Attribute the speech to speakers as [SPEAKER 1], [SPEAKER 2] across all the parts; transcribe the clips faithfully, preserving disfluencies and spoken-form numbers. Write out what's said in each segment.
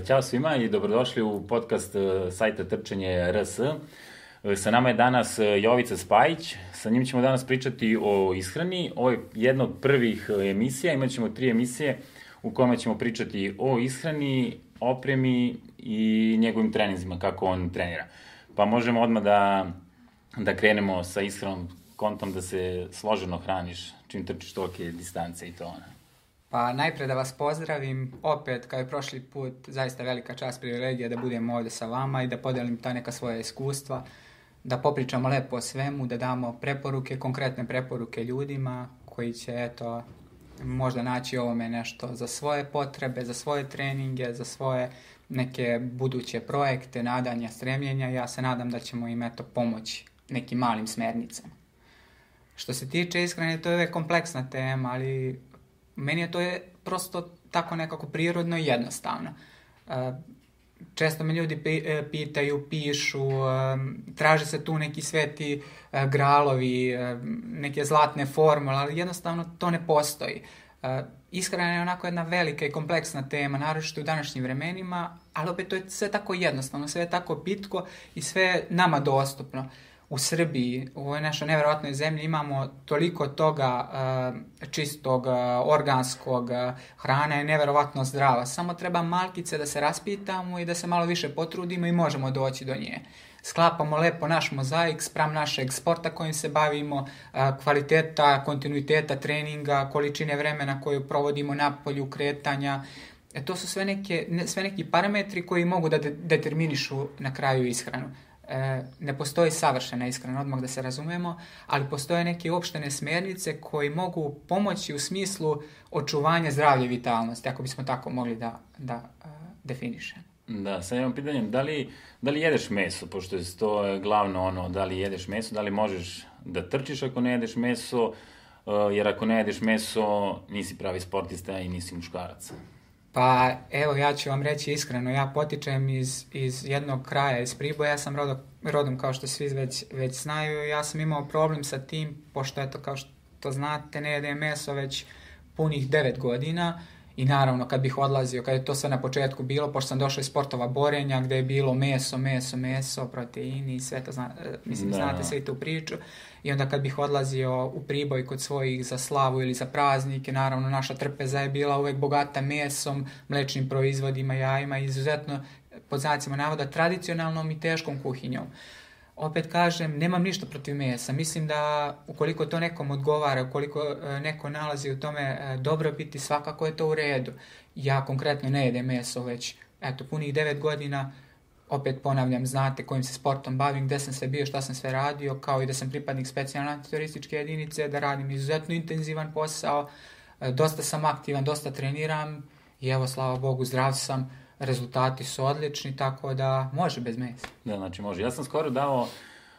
[SPEAKER 1] Ćao svima i dobrodošli u podcast sajta Trčanje R S. Sa nama je danas Jovica Spajić, sa njim ćemo danas pričati o ishrani. Ovo je jedna od prvih emisija, imat ćemo tri emisije u kojima ćemo pričati o ishrani, opremi i njegovim treninzima, kako on trenira. Pa možemo odmah da, da krenemo sa ishranom, kontom da se složeno hraniš čim trčiš tolike distance i to ono.
[SPEAKER 2] Pa najpre da vas pozdravim, opet kao i prošli put, zaista velika čast, privilegija da budem ovdje sa vama i da podelim ta neka svoja iskustva, da popričamo lepo o svemu, da damo preporuke, konkretne preporuke ljudima koji će eto možda naći ovome nešto za svoje potrebe, za svoje treninge, za svoje neke buduće projekte, nadanja, stremljenja. Ja se nadam da ćemo im eto pomoći nekim malim smernicama. Što se tiče ishrane, to je uvijek kompleksna tema, ali meni je to je prosto tako nekako prirodno i jednostavno. Često me ljudi pitaju, pišu, traže se tu neki sveti gralovi, neke zlatne formule, ali jednostavno to ne postoji. Ishrana je onako jedna velika i kompleksna tema, naročito u današnjim vremenima, ali opet to je sve tako jednostavno, sve je tako pitko i sve je nama dostupno. U Srbiji, u ovoj našoj nevjerojatnoj zemlji, imamo toliko toga uh, čistog, uh, organskog, uh, hrana je nevjerojatno zdrava. Samo treba malkice da se raspitamo i da se malo više potrudimo i možemo doći do nje. Sklapamo lepo naš mozaik spram našeg sporta kojim se bavimo, uh, kvaliteta, kontinuiteta treninga, količine vremena koju provodimo na polju kretanja. E, to su sve, neke, ne, sve neki parametri koji mogu da de- determinišu na kraju ishranu. Ne postoji savršena ishrana, odmah da se razumemo, ali postoje neke opštene smjernice koji mogu pomoći u smislu očuvanja zdravlja i vitalnosti, ako bismo tako mogli da, da uh, definišemo.
[SPEAKER 1] Da, sad imam pitanje, da li, da li jedeš meso, pošto je to glavno ono, da li jedeš meso, da li možeš da trčiš ako ne jedeš meso, uh, jer ako ne jedeš meso nisi pravi sportista i nisi muškarac.
[SPEAKER 2] Pa evo, ja ću vam reći iskreno, ja potičem iz, iz jednog kraja, iz Priboja, ja sam rodom, rodom kao što svi već, već znaju, ja sam imao problem sa tim, pošto eto kao što znate ne jedem meso već punih devet godina i naravno kad bih odlazio, kad je to sve na početku bilo, pošto sam došao iz sportova borenja gdje je bilo meso, meso, meso, proteini i sve to, zna, mislim da. Znate sve tu priču. I onda kad bih odlazio u Priboj kod svojih za slavu ili za praznike, naravno naša trpeza je bila uvijek bogata mesom, mlečnim proizvodima, jajima, izuzetno pod znacima navoda tradicionalnom i teškom kuhinjom. Opet kažem, nemam ništa protiv mesa. Mislim da ukoliko to nekom odgovara, ukoliko neko nalazi u tome dobro biti, svakako je to u redu. Ja konkretno ne jedem meso već eto punih devet godina. Opet ponavljam, znate kojim se sportom bavim, gdje sam sve bio, šta sam sve radio, kao i da sam pripadnik specijalne antiterorističke jedinice, da radim izuzetno intenzivan posao, dosta sam aktivan, dosta treniram i evo, slava Bogu, zdrav sam, rezultati su odlični, tako da može bez mesa.
[SPEAKER 1] Da, znači može. Ja sam skoro dao,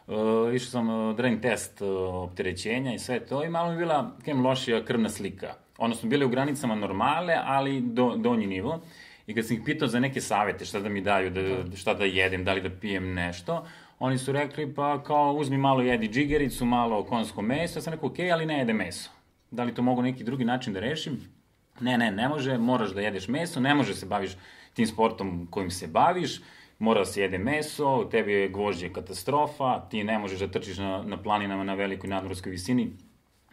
[SPEAKER 1] uh, išao sam uh, trening test uh, opterećenja i sve to i malo mi bila kem lošija krvna slika. Odnosno, bili u granicama normale, ali do, donji nivo. I kad sam ih pitao za neke savjete, šta da mi daju, da, šta da jedem, da li da pijem nešto, oni su rekli, pa kao uzmi malo jedi džigericu, malo konjsko meso. Ja sam rekao, okej, okay, ali ne jede meso. Da li to mogu neki drugi način da rešim? Ne, ne, ne može, moraš da jedeš meso, ne može se baviš tim sportom kojim se baviš, mora da se jede meso, tebi je gvožđe katastrofa, ti ne možeš da trčiš na, na planinama na velikoj nadmorskoj visini,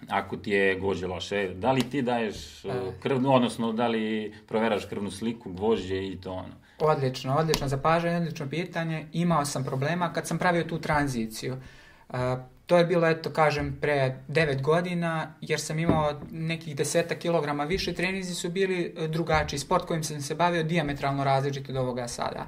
[SPEAKER 1] ako ti je gvožđe loše. Da li ti daješ krvnu, odnosno da li proveraš krvnu sliku, gvožđe i to ono?
[SPEAKER 2] Odlično, odlično zapažanje, odlično pitanje. Imao sam problema kad sam pravio tu tranziciju. Uh, to je bilo, eto, kažem, pre devet godina, jer sam imao nekih deseta kilograma više, treninzi su bili drugačiji. Sport kojim sam se bavio dijametralno različit od ovoga sada.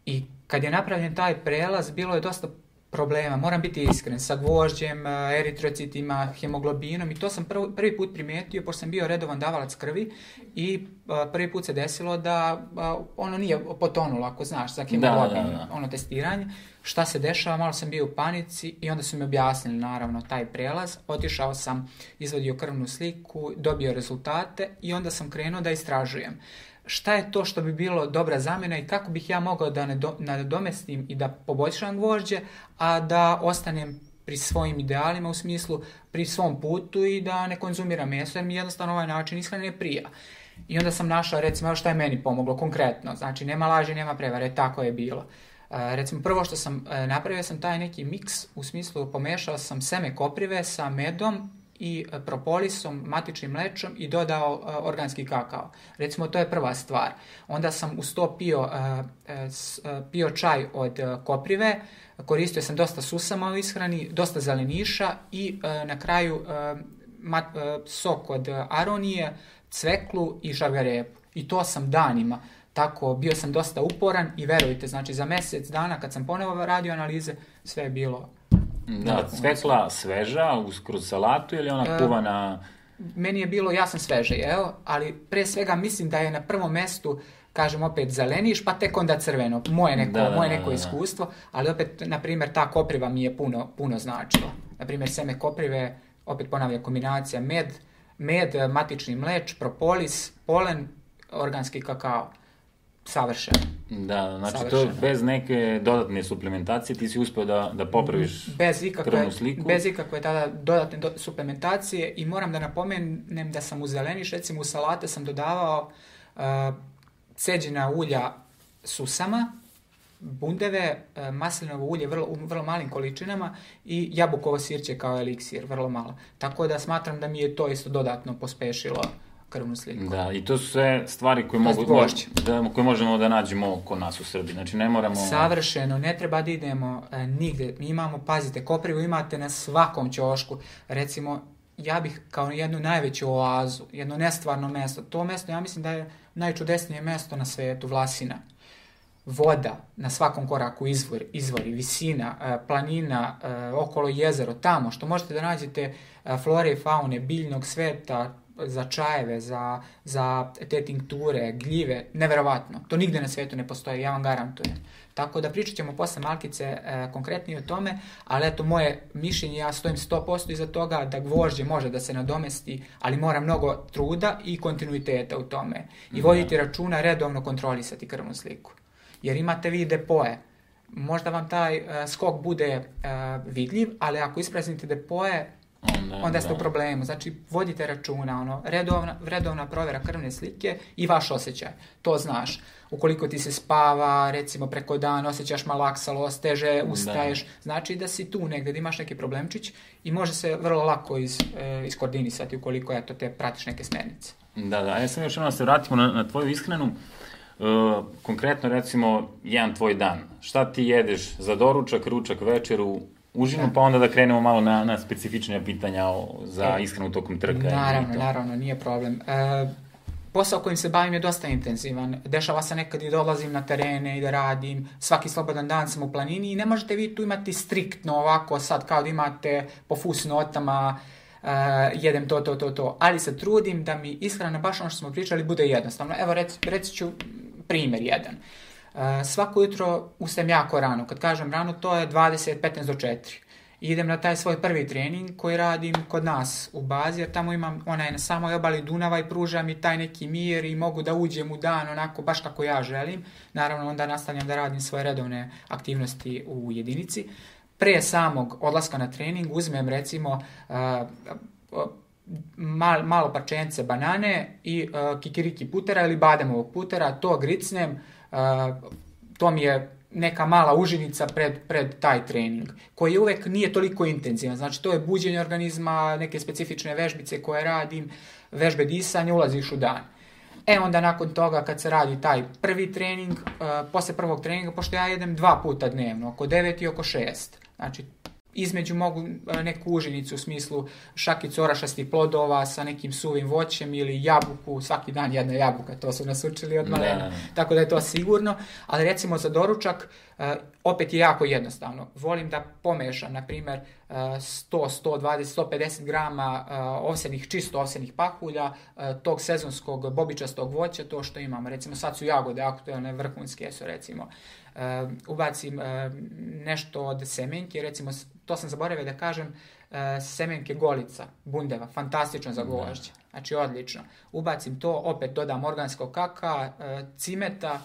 [SPEAKER 2] I kad je napravljen taj prelaz, bilo je dosta problema, moram biti iskren, sa gvožđem, eritrocitima, hemoglobinom i to sam prvi, prvi put primijetio, pošto sam bio redovan davalac krvi i a, prvi put se desilo da a, ono nije potonulo, ako znaš, za hemoglobin, da, da, da. ono testiranje. Šta se dešava, malo sam bio u panici i onda su mi objasnili naravno taj prelaz, otišao sam, izvadio krvnu sliku, dobio rezultate i onda sam krenuo da istražujem. Šta je to što bi bilo dobra zamjena i kako bih ja mogao da nadomestim i da poboljšam gvožđe, a da ostanem pri svojim idealima, u smislu pri svom putu i da ne konzumiram meso, jer mi jednostavno ovaj način ishrane ne prija. I onda sam našao, recimo, šta je meni pomoglo konkretno. Znači, nema laži, nema prevare, tako je bilo. Uh, recimo, prvo što sam uh, napravio sam taj neki miks, u smislu pomešao sam seme koprive sa medom i uh, propolisom, matičnim mlečom i dodao uh, organski kakao. Recimo, to je prva stvar. Onda sam uz to pio, uh, uh, pio čaj od uh, koprive, koristio sam dosta susama u ishrani, dosta zeleniša i uh, na kraju uh, mat, uh, sok od uh, aronije, cveklu i šargarepu. I to sam danima. Tako, bio sam dosta uporan i verujte, znači za mjesec dana kad sam ponovo radio analize, sve je bilo...
[SPEAKER 1] Da, cvekla sveža kroz salatu ili ona kuvana...
[SPEAKER 2] E, meni je bilo, ja sam sveže jeo, ali pre svega mislim da je na prvom mjestu, kažem opet, zeleniš, pa tek onda crveno. Moje neko,
[SPEAKER 1] da, da,
[SPEAKER 2] moje neko
[SPEAKER 1] da, da.
[SPEAKER 2] iskustvo, ali opet, na primjer, ta kopriva mi je puno, puno značila. Na primjer, seme koprive, opet ponavljam, kombinacija med, med, matični mleč, propolis, polen, organski kakao. Savršeno.
[SPEAKER 1] Da, znači
[SPEAKER 2] Savršeno.
[SPEAKER 1] To bez neke dodatne suplementacije ti si uspio da, da popraviš
[SPEAKER 2] bez ikakve,
[SPEAKER 1] krvnu sliku.
[SPEAKER 2] Bez ikakve tada dodatne do, suplementacije i moram da napomenem da sam u zeleniš, recimo u salate sam dodavao uh, ceđena ulja susama, bundeve, uh, maslinovo ulje vrlo, u vrlo malim količinama i jabukovo sirće kao eliksir, vrlo malo. Tako da smatram da mi je to isto dodatno pospešilo krvnu sliku.
[SPEAKER 1] Da, i to su sve stvari koje, mogu, da, koje možemo da nađemo kod nas u Srbiji. Znači ne moramo...
[SPEAKER 2] Savršeno, ne treba da idemo e, nigde. Mi imamo, pazite, koprivu imate na svakom ćošku. Recimo, ja bih kao jednu najveću oazu, jedno nestvarno mesto. To mesto, ja mislim da je najčudesnije mesto na svetu, Vlasina. Voda, na svakom koraku izvor, izvori, visina, e, planina, e, okolo jezero, tamo, što možete da nađete e, flore i faune, biljnog sveta, za čajeve, za, za te tinkture, gljive, neverovatno. To nigde na svijetu ne postoji, ja vam garantujem. Tako da pričat ćemo posle Malkice e, konkretnije o tome, ali eto moje mišljenje, ja stojim sto posto iza toga da gvožđe može da se nadomesti, ali mora mnogo truda i kontinuiteta u tome. I voditi računa, redovno kontrolisati krvnu sliku. Jer imate vi depoje. Možda vam taj e, skok bude e, vidljiv, ali ako ispraznite depoje, Onda, onda ste da. u problemu. Znači, vodite računa, ono, redovna, redovna provjera krvne slike i vaš osjećaj. To znaš. Ukoliko ti se spava, recimo preko dana, osjećaš malaksalost, teže ustaješ, da. Znači da si tu negdje, da imaš neki problemčić i može se vrlo lako iz, e, iskoordinisati ukoliko eto, te pratiš neke smjernice.
[SPEAKER 1] Da, da. Ja sam još jednom da se vratimo na, na tvoju ishranu. Uh, konkretno, recimo, jedan tvoj dan. Šta ti jedeš za doručak, ručak, večeru, užinu, da. Pa onda da krenemo malo na, na specifične pitanja o, za e, ishranu tokom trka.
[SPEAKER 2] Naravno, naravno, nije problem. E, posao kojim se bavim je dosta intenzivan. Dešava se nekad i dolazim na terene i da radim. Svaki slobodan dan sam u planini i ne možete vi tu imati striktno ovako sad kao da imate po fusnotama uh, jedem to, to, to, to. Ali se trudim da mi ishrana, baš ono što smo pričali, bude jednostavno. Evo, reci, reći ću primjer jedan. Uh, svako jutro ustajem jako rano. Kad kažem rano, to je dvadeset petnaest do četiri. I idem na taj svoj prvi trening koji radim kod nas u bazi, jer tamo imam onaj na samoj obali Dunava i pruža mi taj neki mir i mogu da uđem u dan onako baš kako ja želim. Naravno, onda nastavljam da radim svoje redovne aktivnosti u jedinici. Pre samog odlaska na trening uzmem recimo uh, uh, mal, malo parčence banane i uh, kikiriki putera ili bademovog putera, to gricnem, uh, to mi je neka mala užinica pred, pred taj trening, koji uvek nije toliko intenzivan. Znači, to je buđenje organizma, neke specifične vežbice koje radim, vežbe disanja, ulaziš u dan. E, onda nakon toga, kad se radi taj prvi trening, uh, posle prvog treninga, pošto ja jedem dva puta dnevno, oko devet i oko šest, znači, između mogu neku užinicu u smislu šakicu orašastih plodova sa nekim suvim voćem ili jabuku, svaki dan jedna jabuka, to su nas učili od malena, tako da je to sigurno, ali recimo za doručak uh, opet je jako jednostavno. Volim da pomešam, na primjer, uh, sto, sto dvadeset, sto pedeset grama uh, ovsenih, čisto ovsenih pahulja, uh, tog sezonskog bobičastog voća, to što imamo, recimo sad su jagode aktualne, vrhunske su recimo. Uh, ubacim uh, nešto od semenke, recimo to sam zaboravio da kažem, uh, semenke golica, bundeva, fantastično za gvožđe, znači odlično. Ubacim to, opet dodam organskog kaka, uh, cimeta,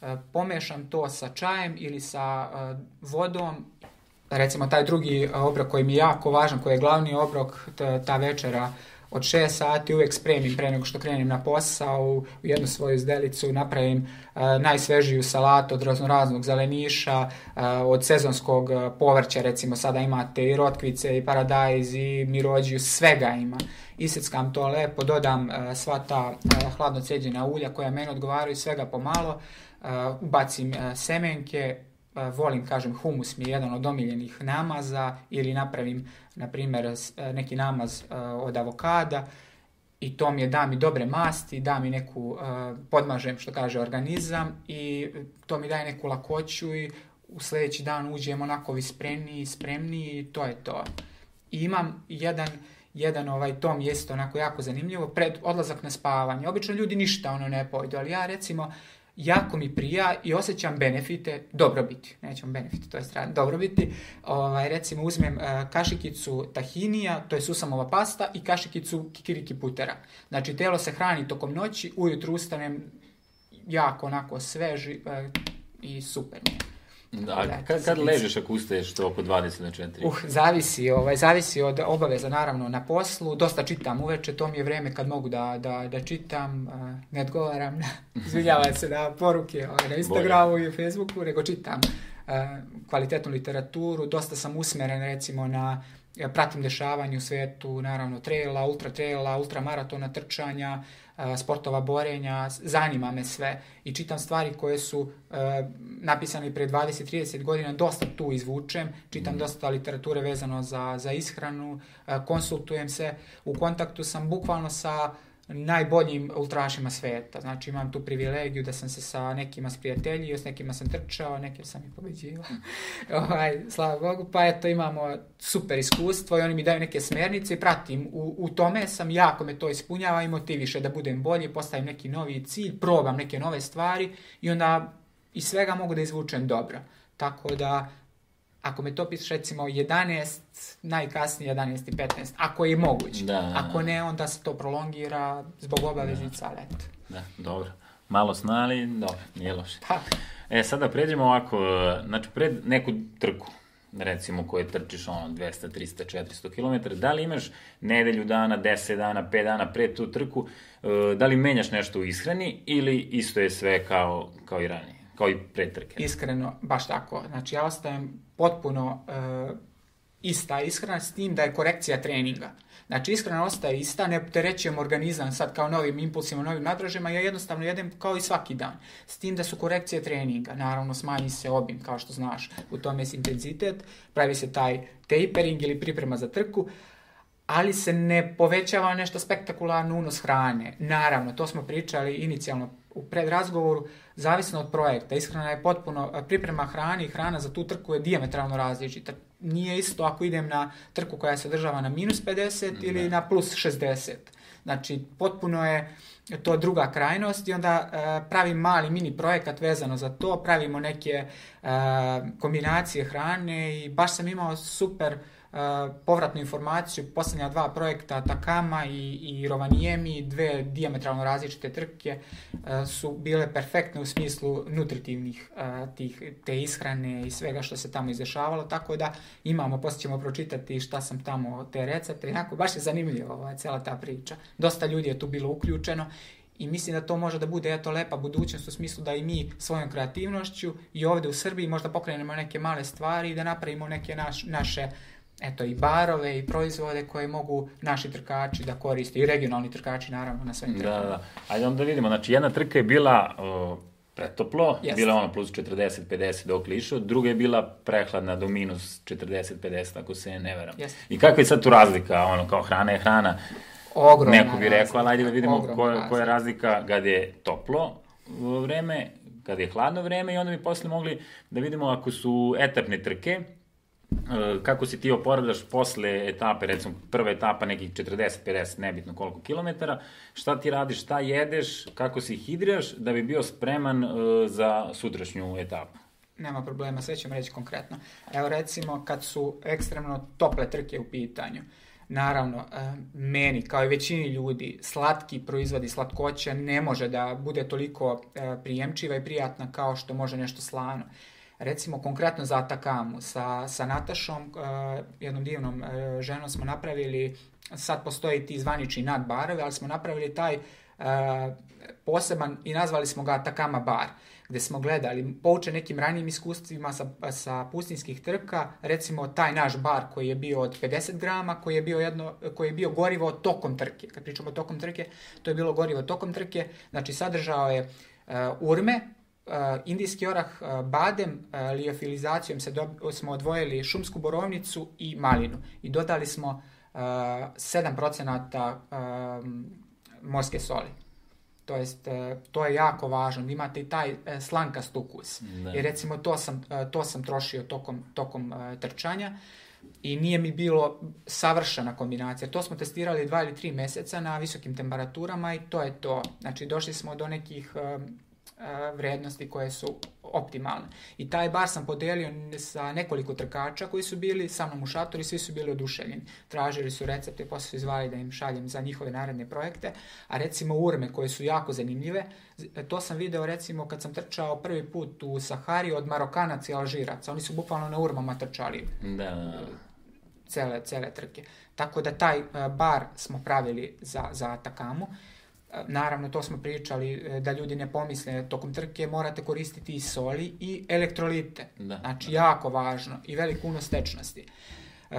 [SPEAKER 2] uh, pomešam to sa čajem ili sa uh, vodom. Recimo taj drugi obrok koji mi je jako važan, koji je glavni obrok, ta, ta večera od šest sati uvijek spremim pre nego što krenem na posao, u jednu svoju izdelicu napravim uh, najsvežiju salatu od raznoraznog zeleniša, uh, od sezonskog uh, povrća, recimo sada imate i rotkvice, i paradajz, i mirođiju, svega ima. Iseckam to lepo, dodam uh, sva ta uh, hladno ceđena ulja koja meni odgovaraju, svega pomalo, uh, ubacim uh, semenke, uh, volim, kažem, humus mi je jedan od omiljenih namaza, ili napravim, na primjer, uh, neki namaz uh, od avokada, i to mi je, da mi dobre masti, da mi neku, uh, podmažem, što kaže, organizam, i to mi daje neku lakoću, i u sljedeći dan uđem onako vispremniji, spremniji, i to je to. I imam jedan jedan ovaj tom je isto onako jako zanimljivo pred odlazak na spavanje. Obično ljudi ništa ono ne pojdu, ali ja recimo jako mi prija i osjećam benefite dobrobiti. Nećemo benefite, to je strana dobrobiti. Ovaj recimo uzmem uh, kašikicu tahinija, to je susamova pasta, i kašikicu kikiriki putera. Znači telo se hrani tokom noći, ujutru ustanem jako onako sveži uh, i super mi je.
[SPEAKER 1] Da, kad, kad ležeš ako ustaješ to oko dvadeset na četiri?
[SPEAKER 2] Uh, zavisi, ovaj, zavisi od obaveza naravno na poslu, dosta čitam uveče, to mi je vrijeme kad mogu da, da, da čitam, uh, ne odgovaram, izvinjavam se na poruke ovaj, na Instagramu i Facebooku, nego čitam uh, kvalitetnu literaturu, dosta sam usmeren recimo na, ja pratim dešavanje u svijetu, naravno traila, ultra traila, ultra maratona, trčanja, sportova borenja, zanima me sve i čitam stvari koje su uh, napisane pre dvadeset do trideset godina, dosta tu izvučem, čitam mm. dosta literature vezano za, za ishranu, uh, konsultujem se, u kontaktu sam bukvalno sa najboljim ultrašima svijeta, znači imam tu privilegiju da sam se sa nekima sprijateljio, s nekima sam trčao, neke sam i pobeđivao, ovaj, slava Bogu, pa eto imamo super iskustvo i oni mi daju neke smjernice i pratim, u, u tome sam, jako me to ispunjava i motiviše da budem bolji, postavim neki novi cilj, probam neke nove stvari i onda iz svega mogu da izvučem dobro, tako da ako me to pitaš recimo jedanaest, najkasnije jedanaest i petnaest, ako je moguće. Da, da, ako ne, onda se to prolongira zbog obaveznica, ali eto.
[SPEAKER 1] Da, dobro. Malo sna, ali dobro, nije loše. Pa. E, sada pređemo ovako, znači pred neku trku, recimo koje trčiš ono dvesta, trista, četiristo kilometara, da li imaš nedelju dana, deset dana, pet dana pred tu trku, da li menjaš nešto u ishrani ili isto je sve kao, kao i ranije, kao i pred trke?
[SPEAKER 2] Iskreno, baš tako. Znači ja ostajem potpuno uh, ista ishrana s tim da je korekcija treninga. Znači ishrana ostaje ista, ne opterećujem organizam sad kao novim impulsima, novim nadražima, ja jednostavno jedem kao i svaki dan. S tim da su korekcije treninga, naravno smanji se obim, kao što znaš, u tome je intenzitet, pravi se taj tapering ili priprema za trku, ali se ne povećava nešto spektakularno unos hrane. Naravno, to smo pričali inicijalno u predrazgovoru, zavisno od projekta. Ishrana je potpuno, priprema hrane i hrana za tu trku je dijametralno različita. Nije isto ako idem na trku koja se održava na minus pedeset ili ne. na plus šezdeset. Znači, potpuno je to druga krajnost i onda uh, pravim mali mini projekat vezano za to, pravimo neke uh, kombinacije hrane i baš sam imao super Uh, povratnu informaciju, posljednja dva projekta Atakama i, i Rovaniemi, dve dijametralno različite trke uh, su bile perfektne u smislu nutritivnih uh, tih, te ishrane i svega što se tamo izdešavalo, tako da imamo, poslije ćemo pročitati šta sam tamo, te recepte, inako baš je zanimljivo ovaj, cijela ta priča. Dosta ljudi je tu bilo uključeno i mislim da to može da bude eto lepa budućnost u smislu da i mi svojom kreativnošću i ovdje u Srbiji možda pokrenemo neke male stvari i da napravimo neke naš, naše eto i barove i proizvode koje mogu naši trkači da koriste i regionalni trkači naravno na svojim trkama.
[SPEAKER 1] Da, da. Ajde onda vidimo, znači jedna trka je bila uh, pretoplo, yes. bila ono plus četrdeset do pedeset dok lišo, druga je bila prehladna do minus četrdeset do pedeset ako se ne veram. Yes. I kakva je sad tu razlika, ono kao hrana je hrana,
[SPEAKER 2] ogromna
[SPEAKER 1] neko bi rekao, ali ajde da vidimo koja, koja je razlika kad je toplo vreme, kad je hladno vreme i onda bi posle mogli da vidimo ako su etapne trke, kako si ti oporavljaš posle etape, recimo prva etapa nekih četrdeset do pedeset, nebitno koliko kilometara, šta ti radiš, šta jedeš, kako si hidriraš da bi bio spreman uh, za sutrašnju etapu?
[SPEAKER 2] Nema problema, sve ćemo reći konkretno. Evo recimo kad su ekstremno tople trke u pitanju, naravno, meni, kao i većini ljudi, slatki proizvodi, slatkoća ne može da bude toliko prijemčiva i prijatna kao što može nešto slano. Recimo, konkretno za Atakamu, sa, sa Natašom, uh, jednom divnom uh, ženom smo napravili sad postoji ti zvanični nadbarovi, ali smo napravili taj uh, poseban i nazvali smo ga Atacama bar, gdje smo gledali, poučen nekim ranijim iskustvima sa, sa pustinskih trka, recimo taj naš bar koji je bio od pedeset grama, koji je bio, jedno, koji je bio gorivo tokom trke. Kad pričamo o tokom trke, to je bilo gorivo tokom trke, znači sadržao je uh, urme, uh, indijski orah, uh, badem, uh, liofilizacijom se do, smo odvojili šumsku borovnicu i malinu i dodali smo uh, sedam procenata uh, morske soli. To jest, to je jako važno, da imate i taj slankast ukus. Da. I recimo to sam, to sam trošio tokom, tokom trčanja i nije mi bilo savršena kombinacija. To smo testirali dva ili tri mjeseca na visokim temperaturama i to je to. Znači došli smo do nekih vrijednosti koje su optimalne. I taj bar sam podelio sa nekoliko trkača koji su bili sa mnom u šatoru i svi su bili oduševljeni. Tražili su recepte, poslije su izvali da im šaljem za njihove naredne projekte. A recimo urme koje su jako zanimljive, to sam video recimo kad sam trčao prvi put u Sahari od Marokanaca i Alžiraca. Oni su bukvalno na urmama trčali.
[SPEAKER 1] Da.
[SPEAKER 2] Cele, cele trke. Tako da taj bar smo pravili za, za Atacamu. Naravno, to smo pričali da ljudi ne pomisle, tokom trke morate koristiti i soli i elektrolite. Da, znači, da. Jako važno i velik unos tečnosti. Uh,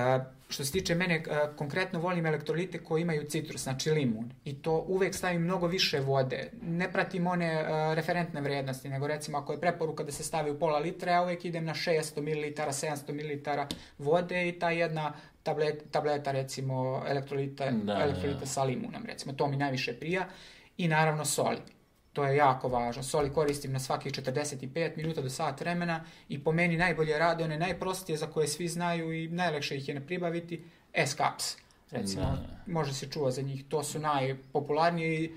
[SPEAKER 2] što se tiče mene, uh, konkretno volim elektrolite koji imaju citrus, znači limun. I to uvek stavim mnogo više vode. Ne pratim one uh, referentne vrijednosti, nego recimo ako je preporuka da se stavi u pola litra, ja uvek idem na šesto mililitara, sedamsto mililitara vode i ta jedna tableta, tableta recimo elektrolita, da, elektrolita da. sa limunom, recimo. To mi najviše prija. I naravno soli. To je jako važno. Soli koristim na svakih četrdeset pet minuta do sat vremena i po meni najbolje rade one najprostije za koje svi znaju i najlakše ih je ne pribaviti, S-Caps. Recimo, da. Može se čuva za njih. To su najpopularniji,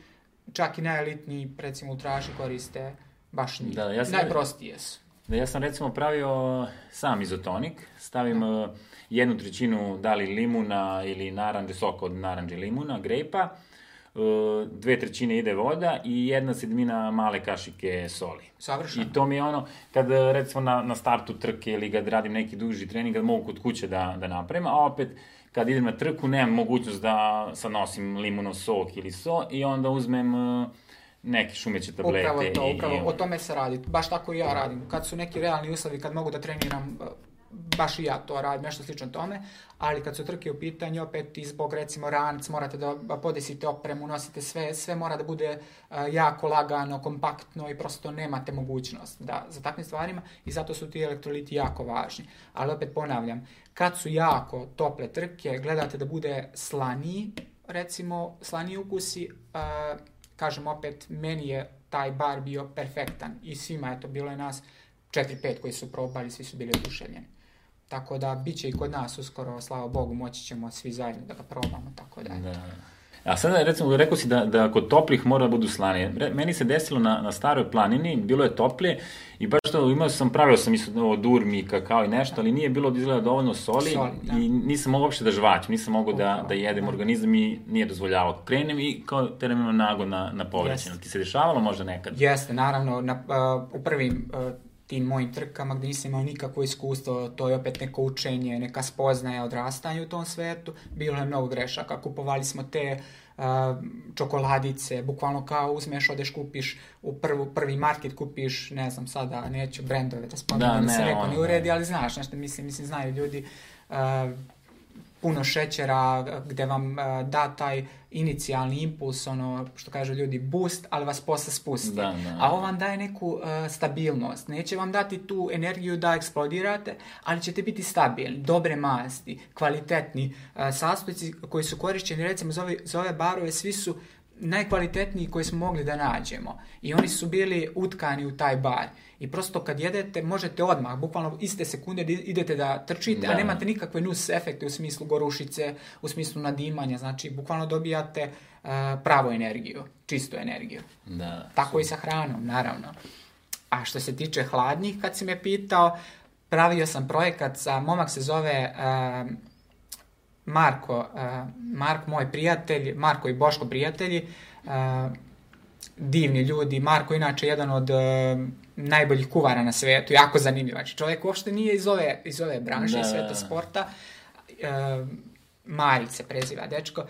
[SPEAKER 2] čak i najelitniji, recimo u traži koriste baš njih. Da, ja sam, najprostije su.
[SPEAKER 1] Da, ja sam recimo pravio sam izotonik. Stavim da. jednu trećinu da li limuna ili naranđe, soka od naranđe limuna, grejpa, dve trećine ide voda i jedna sedmina male kašike soli.
[SPEAKER 2] Savršeno.
[SPEAKER 1] I to mi je ono, kad recimo na, na startu trke ili kad radim neki duži trening, kad mogu kod kuće da, da napravim, a opet kad idem na trku nemam mogućnost da sad nosim limunov sok ili so i onda uzmem uh, neke šumeće tablete.
[SPEAKER 2] Upravo to,
[SPEAKER 1] i,
[SPEAKER 2] upravo,
[SPEAKER 1] i...
[SPEAKER 2] o tome se radi. Baš tako i ja radim. Kad su neki realni uslovi, kad mogu da treniram, baš i ja to radim, nešto slično tome, ali kad su trke u pitanju, opet i zbog recimo ranac, morate da podesite opremu, nosite sve, sve mora da bude uh, jako lagano, kompaktno i prosto nemate mogućnost da, za takvim stvarima i zato su ti elektroliti jako važni. Ali opet ponavljam, kad su jako tople trke, gledate da bude slaniji, recimo slaniji ukusi, uh, kažem opet, meni je taj bar bio perfektan i svima je to bilo i nas četiri pet koji su probali, svi su bili oduševljeni. Tako da, bit će i kod nas uskoro, slava Bogu, moći ćemo svi zajedno da ga probamo, tako da.
[SPEAKER 1] Da. A sada, recimo, rekao si da, da kod toplih mora da budu slanije. Meni se desilo na, na staroj planini, bilo je toplije i baš to, imao sam, pravio sam isto od urmi, kakao i nešto, ali nije bilo da izgleda dovoljno soli, soli i nisam mogao uopšte da žvaćem, nisam mogao da, da jedem, da. Organizam i nije dozvoljavao. Krenem i kao teram imam nago na, na povraćenu. Ti se dešavalo možda nekad?
[SPEAKER 2] Jeste, naravno, na, uh, u prvim uh, tim mojim trkama gdje nisam imao nikakvo iskustvo, to je opet neko učenje, neka spoznaja, odrastanje u tom svetu, bilo je mnogo grešaka. Kupovali smo te uh, čokoladice, bukvalno kao uzmeš, odeš, kupiš u prvu, prvi market, kupiš, ne znam sada, neću brendove da spomenem, da, da se neko ne uredi, ali znaš nešto, mislim, mislim znaju ljudi, uh, puno šećera gde vam uh, da taj inicijalni impuls, ono što kažu ljudi boost, ali vas posle spusti. Da, da. A ovo vam daje neku uh, stabilnost. Neće vam dati tu energiju da eksplodirate, ali ćete biti stabilni, dobre masti, kvalitetni uh, sastojci koji su korišćeni, recimo za ove, za ove barove, svi su najkvalitetniji koji smo mogli da nađemo. I oni su bili utkani u taj bar. I prosto kad jedete, možete odmah, bukvalno iste sekunde idete da trčite, da. A nemate nikakve nus efekte u smislu gorušice, u smislu nadimanja, znači bukvalno dobijate uh, pravu energiju, čistu energiju.
[SPEAKER 1] Da,
[SPEAKER 2] tako
[SPEAKER 1] su...
[SPEAKER 2] i sa hranom, naravno. A što se tiče hladnih, kad si me pitao, pravio sam projekat sa, momak se zove uh, Marko, uh, Marko, moj prijatelj, Marko i Boško prijatelji, uh, divni ljudi. Marko inače jedan od uh, najboljih kuvara na svetu, jako zanimljivač. Čovjek uopšte nije iz ove, iz ove branše, da. Sveta sporta. Uh, Marić se preziva dečko,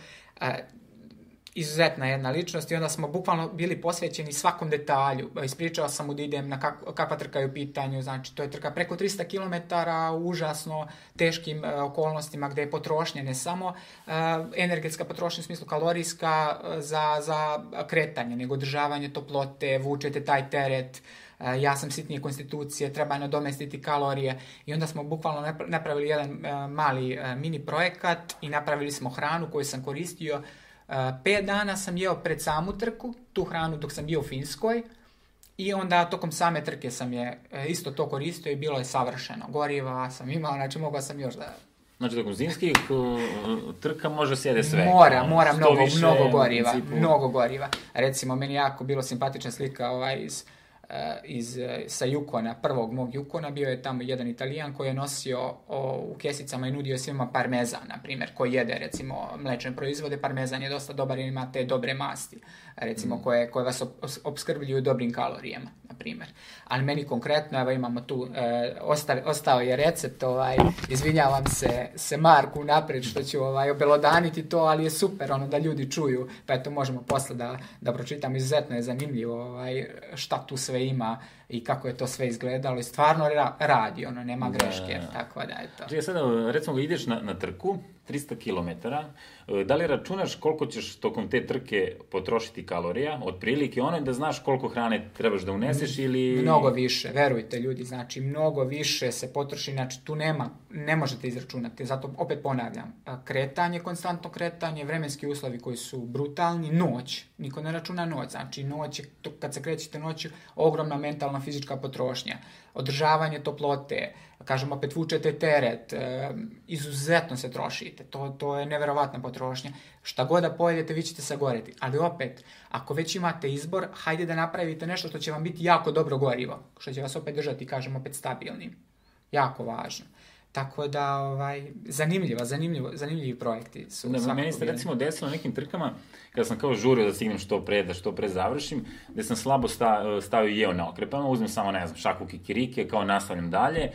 [SPEAKER 2] izuzetna jedna ličnost i onda smo bukvalno bili posvećeni svakom detalju. Ispričao sam mu da idem na kak, kakva trka je u pitanju, znači to je trka preko tristo kilometara u užasno teškim uh, okolnostima gde je potrošnja ne samo uh, energetska potrošnja u smislu kalorijska uh, za, za kretanje, nego održavanje toplote, vučete taj teret, uh, ja sam sitnije konstitucije, treba nadomestiti kalorije i onda smo bukvalno napravili jedan uh, mali uh, mini projekat i napravili smo hranu koju sam koristio. Uh, pet dana sam jeo pred samu trku, tu hranu dok sam bio u Finskoj i onda tokom same trke sam je uh, isto to koristio i bilo je savršeno. Goriva sam imao, znači mogao sam još da...
[SPEAKER 1] Znači tokom zimskih uh, trka može sjede sve.
[SPEAKER 2] Mora, mora mnogo, više, mnogo goriva, principu... mnogo goriva. Recimo, meni jako bilo simpatična slika ovaj iz... iz, sa Yukona, prvog mog Yukona, bio je tamo jedan Italijan koji je nosio o, u kesicama i nudio svima parmezan, na primjer, koji jede, recimo, mlečne proizvode. Parmezan je dosta dobar i ima te dobre masti, recimo, mm. koje, koje vas opskrbljuju dobrim kalorijama, na primjer. Ali meni konkretno, evo imamo tu, e, osta, ostao je recept, ovaj, izvinjavam se, se Marku naprijed što ću ovaj, obelodaniti to, ali je super ono da ljudi čuju, pa eto možemo posle da, da pročitam, izuzetno je zanimljivo ovaj, šta tu sve ima i kako je to sve izgledalo i stvarno ra- radi, ono, nema greške, da, tako da je to.
[SPEAKER 1] Znači, sada, recimo, ideš na, na trku, tristo kilometara, da li računaš koliko ćeš tokom te trke potrošiti kalorija, otprilike ono da znaš koliko hrane trebaš da uneseš ili...
[SPEAKER 2] Mnogo više, verujte ljudi, znači mnogo više se potroši, znači tu nema, ne možete izračunati, zato opet ponavljam, kretanje, konstantno kretanje, vremenski uslovi koji su brutalni, noć, niko ne računa noć, znači noć, kad se krećete noću, ogromna mentalna fizička potrošnja, održavanje toplote, kažem opet vučete teret, e, izuzetno se trošite, to, to je neverovatna potrošnja, šta god da pojedete vi ćete sagoreti, ali opet, ako već imate izbor, hajde da napravite nešto što će vam biti jako dobro gorivo, što će vas opet držati, kažem opet stabilnim, jako važno. Tako da, ovaj, zanimljiva, zanimljivo, zanimljivi projekti su.
[SPEAKER 1] Da, meni se recimo desilo na nekim trkama, kada sam kao žurio da stignem što pre, da što pre završim, gde sam slabo sta, stavio jeo na okrepama, uzmem samo, ne znam, šaku kikirike, kao nastavljam dalje,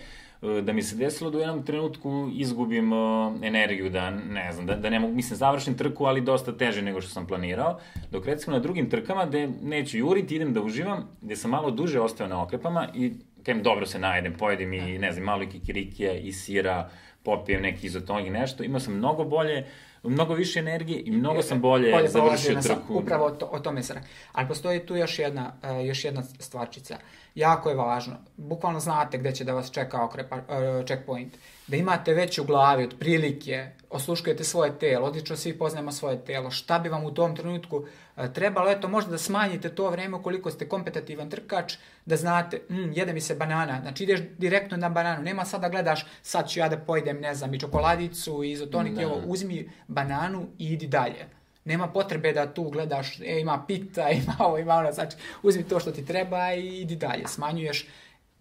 [SPEAKER 1] da mi se desilo da u jednom trenutku izgubim uh, energiju, da ne znam, da, da ne mogu, mislim, završim trku, ali dosta teže nego što sam planirao, dok recimo na drugim trkama gde neću juriti, idem da uživam, gde sam malo duže ostao na okrepama i kajem dobro se najedem, pojedem i, ne znam, malo i kikirikija i sira, popijem neki izotonik i nešto, imao sam mnogo bolje, mnogo više energije i mnogo sam bolje, bolje završio trku.
[SPEAKER 2] Upravo o, to, o tome se radi. Ali postoji tu još jedna, uh, još jedna stvarčica. Jako je važno. Bukvalno znate gde će da vas čeka okrepa, uh, checkpoint. Da imate već u glavi otprilike, osluškujete svoje telo, odlično svi poznajemo svoje telo, šta bi vam u tom trenutku uh, trebalo, eto možda da smanjite to vreme ukoliko ste kompetitivan trkač, da znate, mm, jede mi se banana, znači ideš direktno na bananu, nema sad da gledaš, sad ću ja da pojedem, ne znam, i čokoladicu, i izotonik, evo, uzmi bananu i idi dalje. Nema potrebe da tu gledaš, e, ima pita, ima ovo, ima ono, znači uzmi to što ti treba i idi dalje, smanjuješ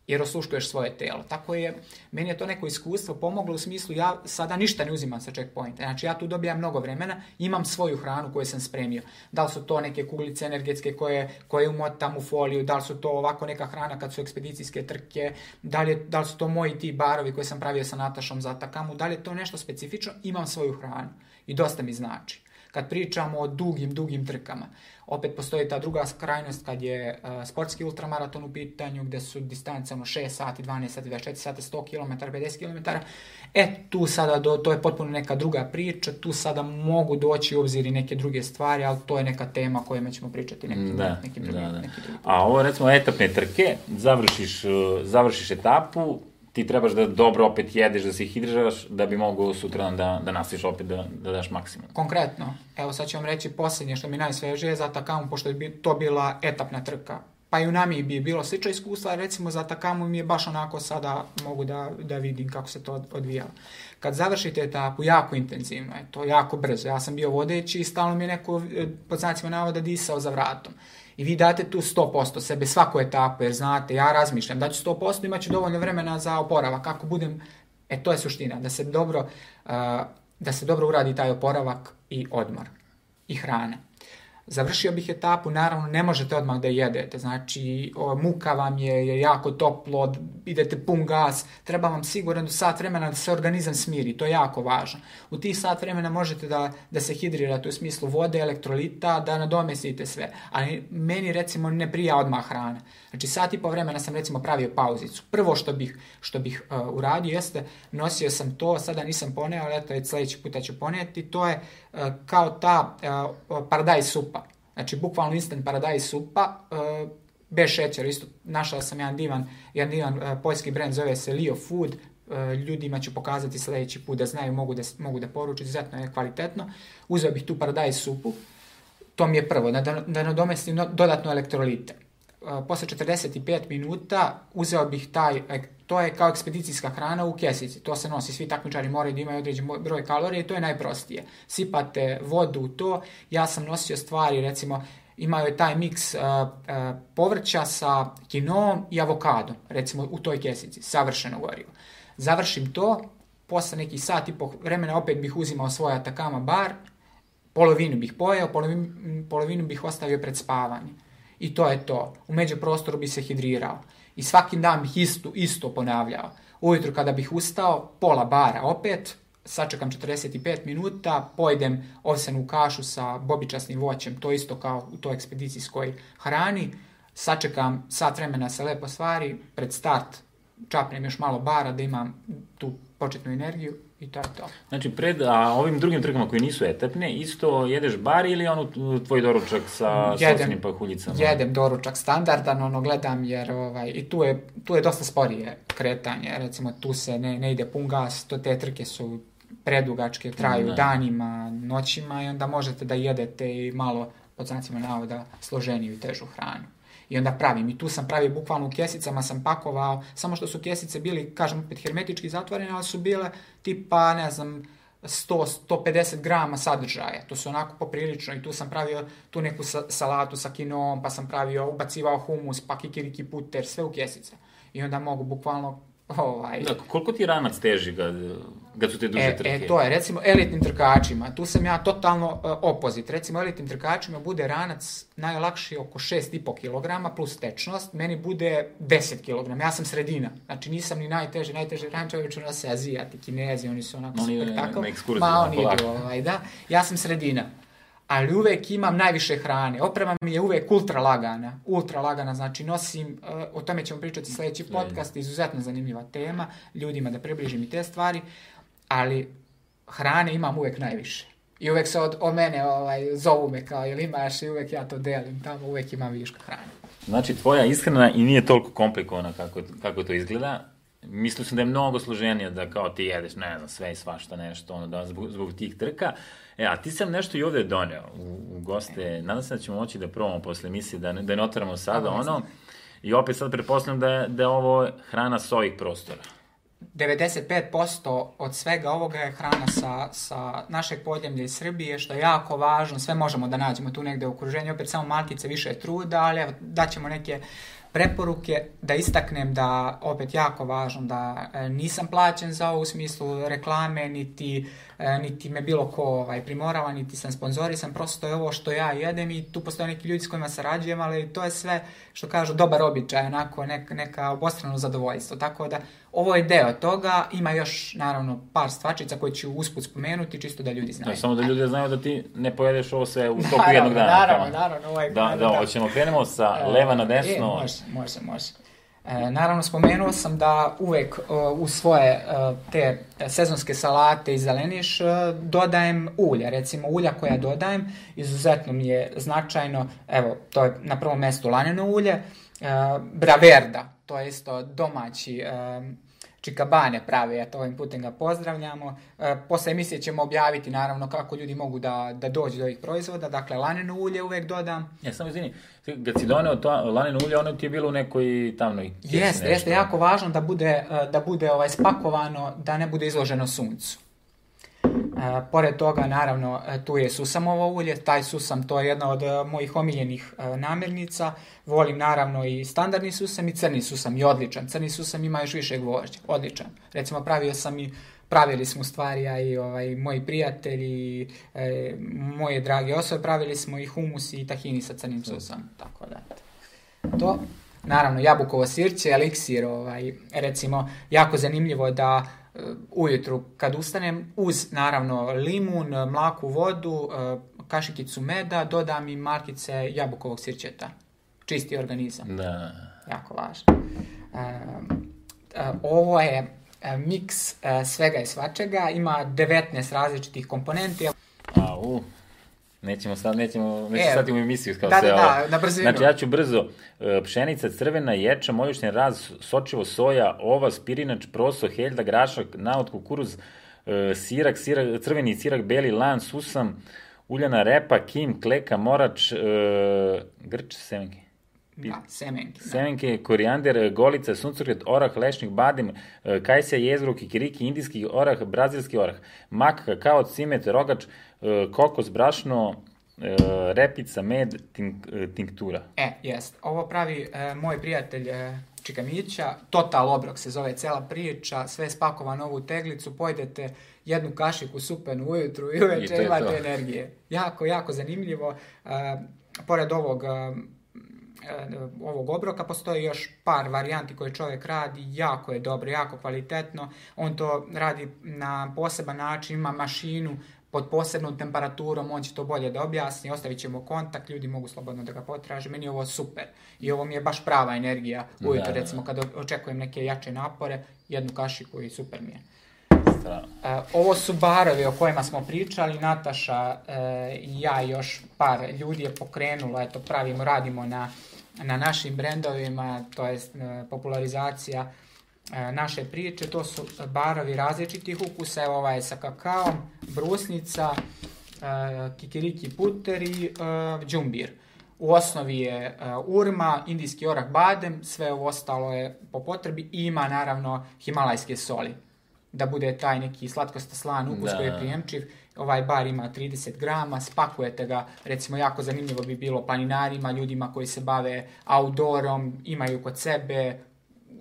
[SPEAKER 2] jer osluškuješ svoje telo. Tako je, meni je to neko iskustvo pomoglo u smislu, ja sada ništa ne uzimam sa checkpointa, znači ja tu dobijam mnogo vremena, imam svoju hranu koju sam spremio. Da li su to neke kuglice energetske koje, koje umotam u foliju, da li su to ovako neka hrana kad su ekspedicijske trke, da li, je, da li su to moji ti barovi koje sam pravio sa Natašom za Atakamu, da li je to nešto specifično, imam svoju hranu i dosta mi znači. Kad pričamo o dugim, dugim trkama, opet postoji ta druga krajnost kad je uh, sportski ultramaraton u pitanju, gde su distance ono šest sati, dvanaest sati, dvadeset četiri sati, sto kilometara, pedeset kilometara. E, tu sada, do, to je potpuno neka druga priča, tu sada mogu doći u obzir i neke druge stvari, ali to je neka tema kojima ćemo pričati nekim,
[SPEAKER 1] da,
[SPEAKER 2] nekim drugim.
[SPEAKER 1] Da, da.
[SPEAKER 2] Neki drugi.
[SPEAKER 1] A ovo recimo etapne trke, završiš, završiš etapu, ti trebaš da dobro opet jedeš, da se hidriraš, da bi mogao sutra da, da nastaviš opet, da, da daš maksimum.
[SPEAKER 2] Konkretno, evo sad ću vam reći posljednje što mi najsvežije za Atakamu, pošto je to bila etapna trka. Pa i u Namibiji je bilo slično iskustva, recimo za Atakamu mi je baš onako sada mogu da, da vidim kako se to odvijalo. Kad završite etapu, jako intenzivno je, to jako brzo. Ja sam bio vodeći i stalno mi je neko, pod znacima navoda, disao za vratom. I vi date tu sto posto sebe svaku etapu, jer znate, ja razmišljam, daću sto posto, imat ću dovoljno vremena za oporavak. Kako budem, e to je suština, da se dobro, uh, da se dobro uradi taj oporavak i odmor i hrana. Završio bih etapu, naravno ne možete odmah da jedete, znači o, muka vam je, je jako toplo, idete pun gas, treba vam sigurno do sat vremena da se organizam smiri, to je jako važno. U tih sat vremena možete da, da se hidrirate u smislu vode, elektrolita, da nadomestite sve, ali meni recimo ne prija odmah hrana. Znači sat i po vremena sam recimo pravio pauzicu. Prvo što bih, što bih uh, uradio jeste, nosio sam to, sada nisam poneo, ali eto, sljedeći puta ću ponijeti, to je uh, kao ta uh, paradajz supa. Znači, bukvalno instant paradajz supa, uh, bez šećera. Isto našao sam jedan divan, jedan divan uh, poljski brend, zove se Leo Food. Uh, ljudima ću pokazati sljedeći put da znaju, mogu da, mogu da poruču, izuzetno je kvalitetno. Uzeo bih tu paradajz supu, to mi je prvo, da, da nadomestim no, dodatno elektrolite. Uh, posle četrdeset pet minuta uzeo bih taj, to je kao ekspedicijska hrana u kesici, to se nosi, svi takmičari moraju da imaju određen broj kalorija i to je najprostije. Sipate vodu u to, ja sam nosio stvari, recimo, imao je taj miks uh, uh, povrća sa kinoom i avokadom, recimo u toj kesici, savršeno gorivo. Završim to, posle nekih sat i po vremena opet bih uzimao svoj Atacama bar, polovinu bih pojeo, polovinu, polovinu bih ostavio pred spavanje. I to je to. U međuprostoru bi se hidrirao. I svaki dan bih isto, isto ponavljao. Ujutru kada bih ustao, pola bara opet, sačekam četrdeset pet minuta, pojedem ovsenu kašu sa bobičasnim voćem, to isto kao u toj ekspedicijskoj hrani, sačekam sat vremena se lepo stvari, pred start čapnem još malo bara da imam tu početnu energiju i to je to.
[SPEAKER 1] Znači, pred a, ovim drugim trkama koji nisu etapne, isto jedeš bar ili ono tvoj doručak sa sosnim pahuljicama?
[SPEAKER 2] Jedem doručak standardan, ono gledam jer ovaj, i tu je, tu je dosta sporije kretanje, recimo tu se ne, ne ide pun gas, to te trke su predugačke, traju ne. danima, noćima i onda možete da jedete i malo, pod znacima navoda, složeniju i težu hranu. I onda pravim. I tu sam pravio bukvalno u kesicama, sam pakovao, samo što su kesice bili, kažem, opet hermetički zatvorene, ali su bile tipa, ne znam, sto do sto pedeset grama sadržaja. To su onako poprilično i tu sam pravio tu neku salatu sa kinom, pa sam pravio, ubacivao humus, pa kikiriki puter, sve u kesice. I onda mogu bukvalno ovaj...
[SPEAKER 1] Da, koliko ti ranac teži kad, kad su te duže
[SPEAKER 2] e,
[SPEAKER 1] trke?
[SPEAKER 2] E, to je, recimo, elitnim trkačima, tu sam ja totalno uh, opozit. Recimo, elitnim trkačima bude ranac najlakši oko šest i po kilograma plus tečnost, meni bude deset kilograma, ja sam sredina. Znači, nisam ni najteži, najteži rančevi, obično nose Azijati, Kinezi, oni su onako
[SPEAKER 1] oni,
[SPEAKER 2] spektakl.
[SPEAKER 1] Ma,
[SPEAKER 2] oni idu, ovaj, da. Ja sam sredina. Ali uvek imam najviše hrane. Oprema mi je uvek ultra lagana. Ultra lagana, znači nosim, uh, o tome ćemo pričati sljedeći podcast, izuzetno zanimljiva tema, ljudima da približim i te stvari, ali hrane imam uvek najviše. I uvek se od, o mene ovaj, zovu me kao, jel imaš, i uvek ja to delim, tamo uvek imam viška hrane.
[SPEAKER 1] Znači, tvoja ishrana i nije toliko komplikovana kako, kako to izgleda. Mislio sam da je mnogo složenije da kao ti jedeš, ne znam, sve i svašta nešto, ono, da, zbog, zbog tih trka. E, a ti sam nešto i ovde doneo u, u goste. E. Nadam se da ćemo moći da probamo posle emisije, da, da ne otvaramo sada, ono. Znam. I opet sad pretpostavljam da je, da je ovo hrana s ovih prostora.
[SPEAKER 2] devedeset pet posto od svega ovoga je hrana sa, sa našeg podneblja iz Srbije, što je jako važno. Sve možemo da nađemo tu negde u okruženju. Opet samo malkice više truda, ali evo, daćemo neke preporuke, da istaknem da, opet jako važno, da e, nisam plaćen za ovo u smislu reklame, niti, e, niti me bilo ko ovaj, primorava, niti sam sponzorisan, prosto je ovo što ja jedem i tu postoje neki ljudi s kojima sarađujem, ali to je sve, što kažu, dobar običaj, onako, neka, neka obostrano zadovoljstvo, tako da ovo je deo toga, ima još, naravno, par stvačica koje ću usput spomenuti, čisto da ljudi znaju.
[SPEAKER 1] Da, samo da ljudi znaju da ti ne pojedeš ovo sve u toku jednog dana.
[SPEAKER 2] Naravno, naravno. Ovaj,
[SPEAKER 1] da, da, da, hoćemo krenemo sa e, leva na desno.
[SPEAKER 2] E, može, može, može. E, naravno, spomenuo sam da uvek uh, u svoje uh, te sezonske salate i zeleniš uh, dodajem ulja. Recimo, ulja koja dodajem, izuzetno mi je značajno, evo, to je na prvom mjestu laneno ulje, uh, Braverda, to je isto domaći uh, Čikabane pravi, eto, ovim putem ga pozdravljamo. E, posle emisije ćemo objaviti, naravno, kako ljudi mogu da, da dođu do ovih proizvoda. Dakle, laneno ulje uvek dodam.
[SPEAKER 1] Ja, samo izvini, kad si doneo to laneno ulje, ono ti je bilo u nekoj tamnoj kesi.
[SPEAKER 2] Jeste, jeste, jako važno da bude, da bude ovaj, spakovano, da ne bude izloženo suncu. E, pored toga, naravno, tu je susamovo ulje, taj susam, to je jedna od uh, mojih omiljenih uh, namirnica. Volim, naravno, i standardni susam i crni susam, i odličan. Crni susam ima još više gvožđa, odličan. Recimo, pravio sam i pravili smo u stvari, ja i ovaj, moji prijatelji, e, moje drage osobe, pravili smo i humus i tahini sa crnim sosom, tako da. To, naravno, jabukovo sirće, eliksir, ovaj, recimo, jako zanimljivo da uh, ujutru kad ustanem, uz, naravno, limun, mlaku vodu, uh, kašikicu meda, dodam i markice jabukovog sirćeta. Čisti organizam.
[SPEAKER 1] Da.
[SPEAKER 2] Jako važno. Uh, uh, ovo je miks uh, svega i svačega, ima devetnaest različitih komponenti.
[SPEAKER 1] Au, nećemo sad, nećemo, nećemo
[SPEAKER 2] e,
[SPEAKER 1] sad u emisiju kao
[SPEAKER 2] da,
[SPEAKER 1] se
[SPEAKER 2] da,
[SPEAKER 1] ovo.
[SPEAKER 2] Da, na brzinu.
[SPEAKER 1] Znači, ja ću brzo. Pšenica, crvena, ječa, moljušni raz, sočivo, soja, ova, spirinač, proso, heljda, grašak, naot, kukuruz, sirak, sirak, crveni sirak, beli, lan, susam, uljana repa, kim, kleka, morač, grč, semenke.
[SPEAKER 2] Da, semenke.
[SPEAKER 1] Semenke, korijander, golica, suncokret, orah, lešnik, badim, kajsija, jezgro, kikiriki, indijski orah, brazilski orah, mak, kakao, cimet, rogač, kokos, brašno, repica, med, tink, tinktura.
[SPEAKER 2] E, jest. Ovo pravi e, moj prijatelj e, Čika Mića, Total Obrok se zove cela priča, sve je spakovano u ovu teglicu, pojedete jednu kašiku supenu ujutru i uveče imate to. Energije. Jako, jako zanimljivo. E, pored ovog ovog obroka postoji još par varijanti koje čovjek radi, jako je dobro, jako kvalitetno. On to radi na poseban način, ima mašinu pod posebnom temperaturom, on će to bolje da objasni, ostavit ćemo kontakt, ljudi mogu slobodno da ga potraže, meni je ovo super. I ovo mi je baš prava energija ujutro, da, recimo, kada očekujem neke jače napore, jednu kašiku i super mi je. Uh, ovo su barovi o kojima smo pričali, Nataša uh, i ja i još par ljudi je pokrenulo, eto, pravimo, radimo na, na našim brendovima, to je uh, popularizacija uh, naše priče, to su barovi različitih ukusa, evo ovaj je sa kakaom, brusnica, uh, kikiriki puter i uh, džumbir. U osnovi je uh, urma, indijski orah badem, sve ovo ostalo je po potrebi i ima naravno himalajske soli, da bude taj neki slatkosta slan ukus da. Koji je prijemčiv. Ovaj bar ima trideset grama, spakujete ga, recimo jako zanimljivo bi bilo planinarima, ljudima koji se bave outdoorom, imaju kod sebe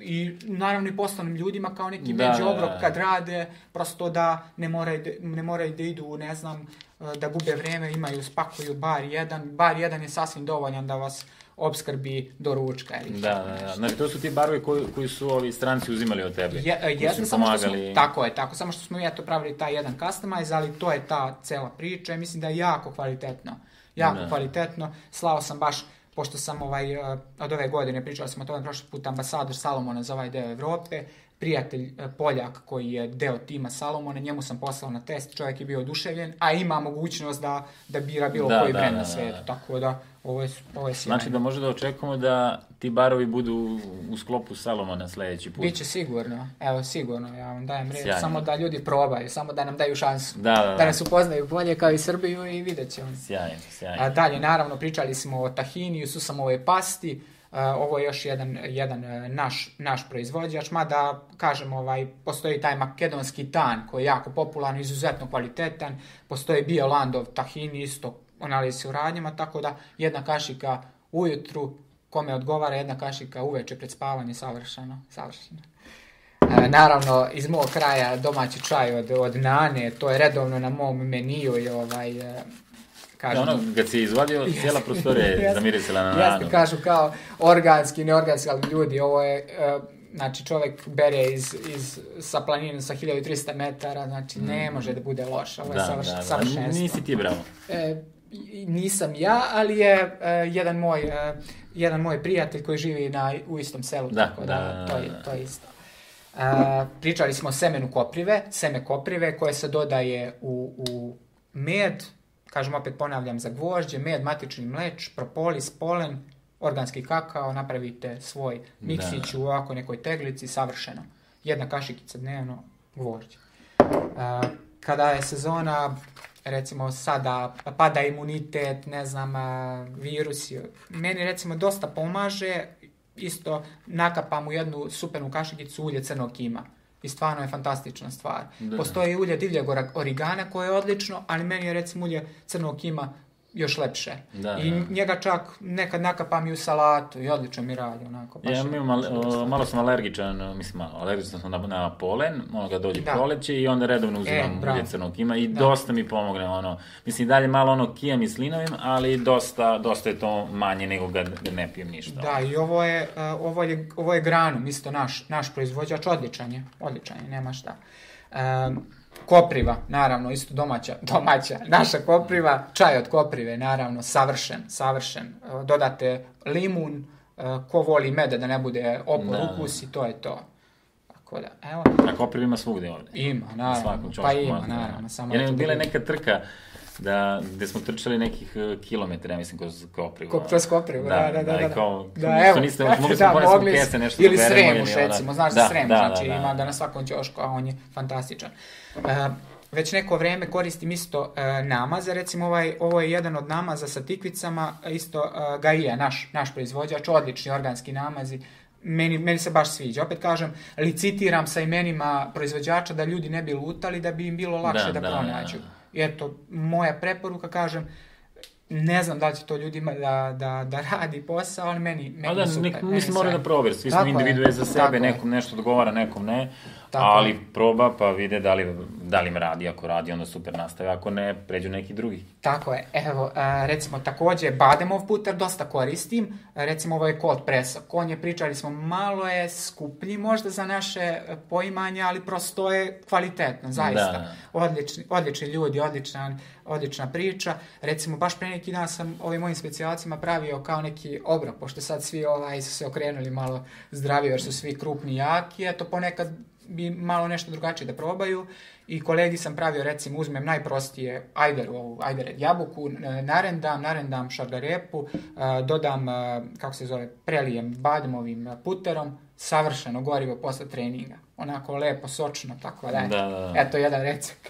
[SPEAKER 2] i naravno i poslovnim ljudima kao neki da, među obrok kad rade, prosto da ne moraju, ne moraju da idu, ne znam, da gube vreme, imaju, spakuju bar jedan, bar jedan je sasvim dovoljan da vas opskrbi do ručka. Ili
[SPEAKER 1] da, da, da. Znači, to su ti barovi koji, koji su ovi stranci uzimali od tebe.
[SPEAKER 2] Je, jesmo, samo što smo, tako je, tako, samo što smo ja to pravili taj jedan customize, ali to je ta cela priča i mislim da je jako kvalitetno. Jako da. Kvalitetno. Slao sam baš, pošto sam ovaj, od ove godine, pričali smo o tome prošli put, ambasador Salomona za ovaj deo Evrope, prijatelj Poljak koji je deo tima Salomona, njemu sam poslao na test, čovjek je bio oduševljen, a ima mogućnost da, da bira bilo da, koji da, brend da, na svijetu, da, da. Tako da ovo je, ovo je sjajno.
[SPEAKER 1] Znači da može da očekujemo da ti barovi budu u sklopu Salomona sljedeći put.
[SPEAKER 2] Biće sigurno, evo sigurno, ja vam dajem reč, samo da ljudi probaju, samo da nam daju šansu,
[SPEAKER 1] da, da, da.
[SPEAKER 2] da nas upoznaju bolje kao i Srbiju i vidjet ćemo.
[SPEAKER 1] Sjajno, sjajno.
[SPEAKER 2] A dalje, naravno, pričali smo o tahiniju, susamove pasti. Uh, ovo je još jedan, jedan uh, naš, naš proizvođač, mada, kažem, ovaj, postoji taj makedonski tan koji je jako popularan, izuzetno kvalitetan, postoji Biolandov tahini isto, analizi se u radnjama, tako da jedna kašika ujutru, kome odgovara, jedna kašika uveče pred spavanje, savršeno, savršeno. Uh, naravno, iz mog kraja domaći čaj od, od Nane, to je redovno na mom meniju i ovaj... Uh,
[SPEAKER 1] Kažem, ono, kad si izvadio, cijela prostorija je zamirisila na nanu.
[SPEAKER 2] Jasno, kažu kao organski, neorganski, ali ljudi, ovo je, uh, znači čovjek bere iz, iz, sa planine sa hiljadu trista metara, znači mm. ne može da bude loš, ovo je
[SPEAKER 1] da,
[SPEAKER 2] savrš,
[SPEAKER 1] da, da.
[SPEAKER 2] savršenstvo.
[SPEAKER 1] Nisi ti bravo.
[SPEAKER 2] E, nisam ja, ali je uh, jedan, moj, uh, jedan moj prijatelj koji živi na, u istom selu,
[SPEAKER 1] da,
[SPEAKER 2] tako
[SPEAKER 1] da,
[SPEAKER 2] da,
[SPEAKER 1] da,
[SPEAKER 2] to, je,
[SPEAKER 1] da.
[SPEAKER 2] to je isto. Uh, pričali smo o semenu koprive, seme koprive koje se dodaje u, u med, kažem, opet ponavljam, za gvožđe, med, matični mleč, propolis, polen, organski kakao, napravite svoj miksić u ovako nekoj teglici, savršeno. Jedna kašikica dnevno, gvožđe. Uh, kada je sezona, recimo sada pada imunitet, ne znam, virusi, meni recimo dosta pomaže, isto nakapam u jednu supenu kašikicu ulje crnog kima. I stvarno je fantastična stvar. Da. Postoji ulje divljeg origana koje je odlično, ali meni je recimo ulje crnog kima još lepše.
[SPEAKER 1] Da,
[SPEAKER 2] I
[SPEAKER 1] da.
[SPEAKER 2] njega čak nekad nakapam i u salatu i odlično mi radi, onako. Baš
[SPEAKER 1] Ja,
[SPEAKER 2] je,
[SPEAKER 1] imam, malo, malo sam alergičan, mislim malo, alergičan sam na, na polen, ono kad dođe
[SPEAKER 2] Da.
[SPEAKER 1] proleće i onda redovno uzimam
[SPEAKER 2] E, bravo.
[SPEAKER 1] ulje crnog kima i
[SPEAKER 2] Da.
[SPEAKER 1] dosta mi pomogne, ono, mislim dalje malo ono kijam i slinovim, ali dosta, dosta je to manje nego ga, ga ne pijem ništa.
[SPEAKER 2] Da, i ovo je, uh, ovo je, ovo je Granum, isto naš, naš proizvođač, odličan je, odličan je, nema šta. Um, kopriva, naravno, isto domaća, domaća, naša kopriva, čaj od koprive, naravno, savršen, savršen. Uh, dodate limun, uh, ko voli meda da ne bude opor
[SPEAKER 1] Da.
[SPEAKER 2] ukus i to je to. Tako da, evo.
[SPEAKER 1] A kopriv ima svugde ovde.
[SPEAKER 2] Ima,
[SPEAKER 1] Na
[SPEAKER 2] naravno,
[SPEAKER 1] svakom čošku
[SPEAKER 2] pa ima,
[SPEAKER 1] možda.
[SPEAKER 2] naravno, samo
[SPEAKER 1] Jer
[SPEAKER 2] da
[SPEAKER 1] je
[SPEAKER 2] to
[SPEAKER 1] bila
[SPEAKER 2] bude-
[SPEAKER 1] neka trka da, gde smo trčali nekih uh, kilometara, ja mislim, kroz koprivu.
[SPEAKER 2] Ko, kroz koprivu, da, da, da.
[SPEAKER 1] Da,
[SPEAKER 2] da,
[SPEAKER 1] i kao,
[SPEAKER 2] da,
[SPEAKER 1] ništa
[SPEAKER 2] evo,
[SPEAKER 1] niste, mogli
[SPEAKER 2] da,
[SPEAKER 1] smo ponesti
[SPEAKER 2] mogli
[SPEAKER 1] u
[SPEAKER 2] s-
[SPEAKER 1] kese, nešto
[SPEAKER 2] ili
[SPEAKER 1] da beremo,
[SPEAKER 2] Sremuš,
[SPEAKER 1] ili ona-
[SPEAKER 2] recimo, znaš
[SPEAKER 1] da,
[SPEAKER 2] za Sremuš,
[SPEAKER 1] da,
[SPEAKER 2] znači
[SPEAKER 1] da, da.
[SPEAKER 2] ima ga na svakom ćošku, a on je fantastičan. Uh, već neko vreme koristim isto uh, namaza, recimo ovaj, ovo je jedan od namaza sa tikvicama, isto uh, Gaia, naš, naš proizvođač, odlični organski namazi, Meni, meni se baš sviđa. Opet kažem, licitiram sa imenima proizvođača da ljudi ne bi lutali, da bi im bilo lakše da,
[SPEAKER 1] Da,
[SPEAKER 2] da
[SPEAKER 1] da,
[SPEAKER 2] pronađu.
[SPEAKER 1] da.
[SPEAKER 2] I eto, moja preporuka, kažem, ne znam da li će to ljudima da, da, da radi posao, ali meni, meni
[SPEAKER 1] A da,
[SPEAKER 2] je super.
[SPEAKER 1] nek,
[SPEAKER 2] meni
[SPEAKER 1] mislim,
[SPEAKER 2] je
[SPEAKER 1] mora
[SPEAKER 2] sjajno.
[SPEAKER 1] da probjer, svi smo
[SPEAKER 2] Tako je,
[SPEAKER 1] individue za
[SPEAKER 2] tako
[SPEAKER 1] sebe,
[SPEAKER 2] je.
[SPEAKER 1] nekom nešto odgovara, nekom ne,
[SPEAKER 2] Tako
[SPEAKER 1] ali
[SPEAKER 2] je.
[SPEAKER 1] proba pa vide da li, da li im radi, ako radi onda super nastave, ako ne, pređu neki drugi.
[SPEAKER 2] Tako je. Evo, a, recimo, takođe, bademov puter dosta koristim. A, recimo, ovo je cold press. On je, pričali smo, malo je skuplji možda za naše e, poimanje, ali prosto je kvalitetno, zaista.
[SPEAKER 1] Da.
[SPEAKER 2] Odlični, odlični ljudi, odlična, odlična priča. Recimo, baš pre neki dan sam ovim mojim specijalcima pravio kao neki obrok, pošto sad svi ovaj, su se okrenuli malo zdravije, jer su svi krupni i jaki. Eto, ponekad bi malo nešto drugačije da probaju i kolegi sam pravio, recimo, uzmem najprostije ajderu, ovu ajdered jabuku, e, narendam, narendam šargarepu, e, dodam, e, kako se zove, prelijem badmovim puterom, savršeno gorivo posle treninga. Onako lepo, sočno, tako da,
[SPEAKER 1] Da, da, da.
[SPEAKER 2] eto jedan recept.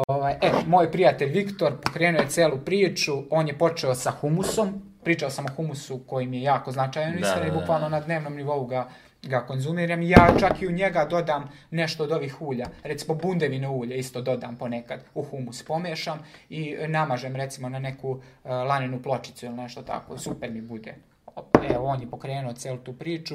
[SPEAKER 2] Ovaj, e, moj prijatelj Viktor pokrenuo je celu priču, on je počeo sa humusom, pričao sam o humusu koji mi je jako značajan u
[SPEAKER 1] Da,
[SPEAKER 2] ishrani,
[SPEAKER 1] da, da.
[SPEAKER 2] bukvalno na dnevnom nivou ga, ga konzumiram. Ja čak i u njega dodam nešto od ovih ulja, recimo bundevino ulje isto dodam ponekad u humus, pomešam i namažem recimo na neku uh, lanenu pločicu ili nešto tako, super mi bude. Evo, on je pokrenuo celu tu priču,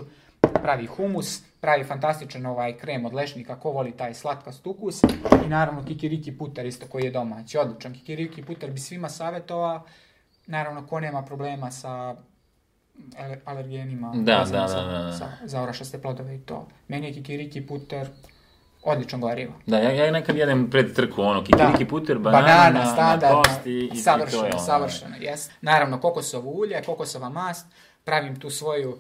[SPEAKER 2] pravi humus, pravi fantastičan ovaj krem od lešnika, ko voli taj slatkast ukus i naravno kikiriki puter isto koji je domaći, odličan kikiriki puter bi svima savjetovao, naravno ko nema problema sa ale- alergenima
[SPEAKER 1] Da,
[SPEAKER 2] vezano
[SPEAKER 1] da,
[SPEAKER 2] za,
[SPEAKER 1] da, da.
[SPEAKER 2] za, za orašaste plodove i to. Meni je kikiriki puter odlično gorivo.
[SPEAKER 1] Da, ja, ja nekad jedem pred trku, ono, kikiriki puter, banana,
[SPEAKER 2] banana
[SPEAKER 1] na, na
[SPEAKER 2] standardna,
[SPEAKER 1] tost i, i
[SPEAKER 2] savršeno,
[SPEAKER 1] to je ono.
[SPEAKER 2] savršeno, jes. Naravno, kokosovo ulje, kokosova mast, pravim tu svoju uh,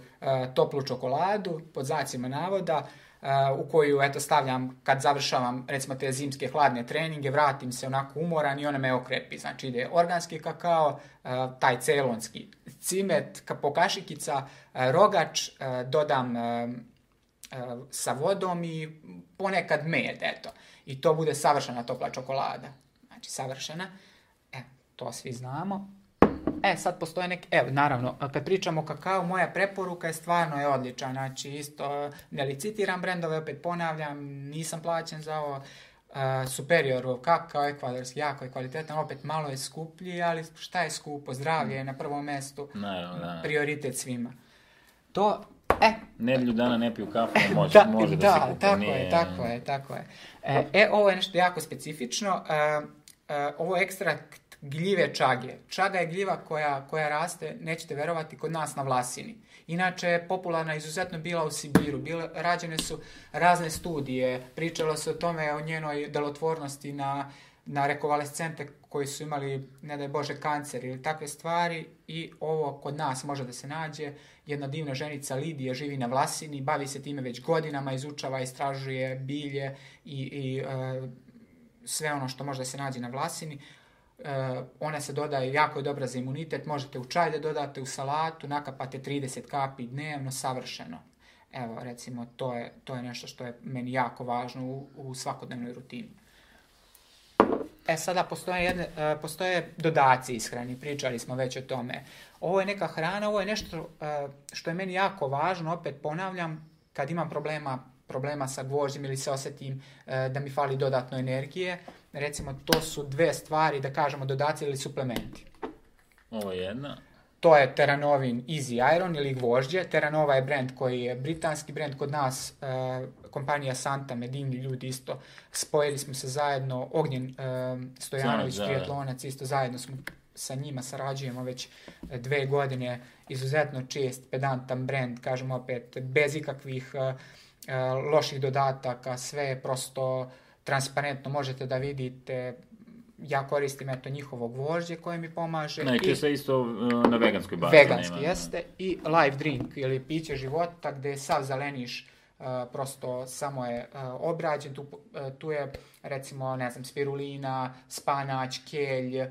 [SPEAKER 2] toplu čokoladu, pod znacima navoda, uh, u koju, eto, stavljam, kad završavam, recimo, te zimske hladne treninge, vratim se onako umoran i ona me okrepi. Znači, ide organski kakao, uh, taj celonski cimet, ka- pokašikica, uh, rogač, uh, dodam uh, uh, sa vodom i ponekad med, eto. I to bude savršena topla čokolada. Znači, savršena. E, to svi znamo. E, sad postoje neki, evo, naravno, kad pričamo o kakao, moja preporuka je stvarno je odlična, znači isto ne licitiram brendove, opet ponavljam, nisam plaćen za ovo, uh, Superiorov kakao, ekvadorski, jako je kvalitetan, opet malo je skuplji, ali šta je skupo, zdravlje je na prvom mestu,
[SPEAKER 1] Naravno, da.
[SPEAKER 2] prioritet svima. To, e,
[SPEAKER 1] Nedelju dana ne piju kafu, može,
[SPEAKER 2] da,
[SPEAKER 1] može da,
[SPEAKER 2] da,
[SPEAKER 1] se kupi.
[SPEAKER 2] tako
[SPEAKER 1] nije...
[SPEAKER 2] je, tako je, tako je. E, e, ovo je nešto jako specifično, e, e, ovo je ekstrakt gljive čage. Čaga je gljiva koja, koja raste, nećete verovati, kod nas na Vlasini. Inače je popularna izuzetno bila u Sibiru. Bile, rađene su razne studije, pričalo se o tome, o njenoj delotvornosti na, na rekovalescente koji su imali, ne daj Bože, kancer ili takve stvari i ovo kod nas može da se nađe. Jedna divna ženica Lidija živi na Vlasini, bavi se time već godinama, izučava, istražuje bilje i, i e, sve ono što može da se nađe na Vlasini. Uh, ona se dodaje, jako je dobra za imunitet, možete u čaj da dodate, u salatu, nakapate trideset kapi dnevno, savršeno. Evo, recimo, to je, to je nešto što je meni jako važno u, u svakodnevnoj rutini. E, sada postoje, jedne, uh, postoje dodaci ishrani, pričali smo već o tome. Ovo je neka hrana, ovo je nešto uh, što je meni jako važno, opet ponavljam, kad imam problema problema sa gvožđem ili se osjetim e, da mi fali dodatno energije. Recimo, to su dve stvari, da kažemo, dodaci ili suplementi.
[SPEAKER 1] Ovo je jedna.
[SPEAKER 2] To je Terranovin Easy Iron ili gvožđe. Terranova je brand koji je britanski brand kod nas, e, kompanija Santa, Medini ljudi isto. Spojili smo se zajedno, Ognjen e, Stojanović, triatlonac, isto zajedno smo sa njima sarađujemo već dve godine, izuzetno čest, pedantan brand, kažem opet, bez ikakvih uh, uh, loših dodataka, sve je prosto transparentno, možete da vidite. Ja koristim eto njihovo gvožđe koje mi pomaže.
[SPEAKER 1] Ne, i sve isto uh, na veganskoj bazi.
[SPEAKER 2] Veganski nema, jeste. I life drink ili piće života gde je sav zeleniš, uh, prosto samo je uh, obrađen. Tu, uh, tu je recimo, ne znam, spirulina, spanać, kelj,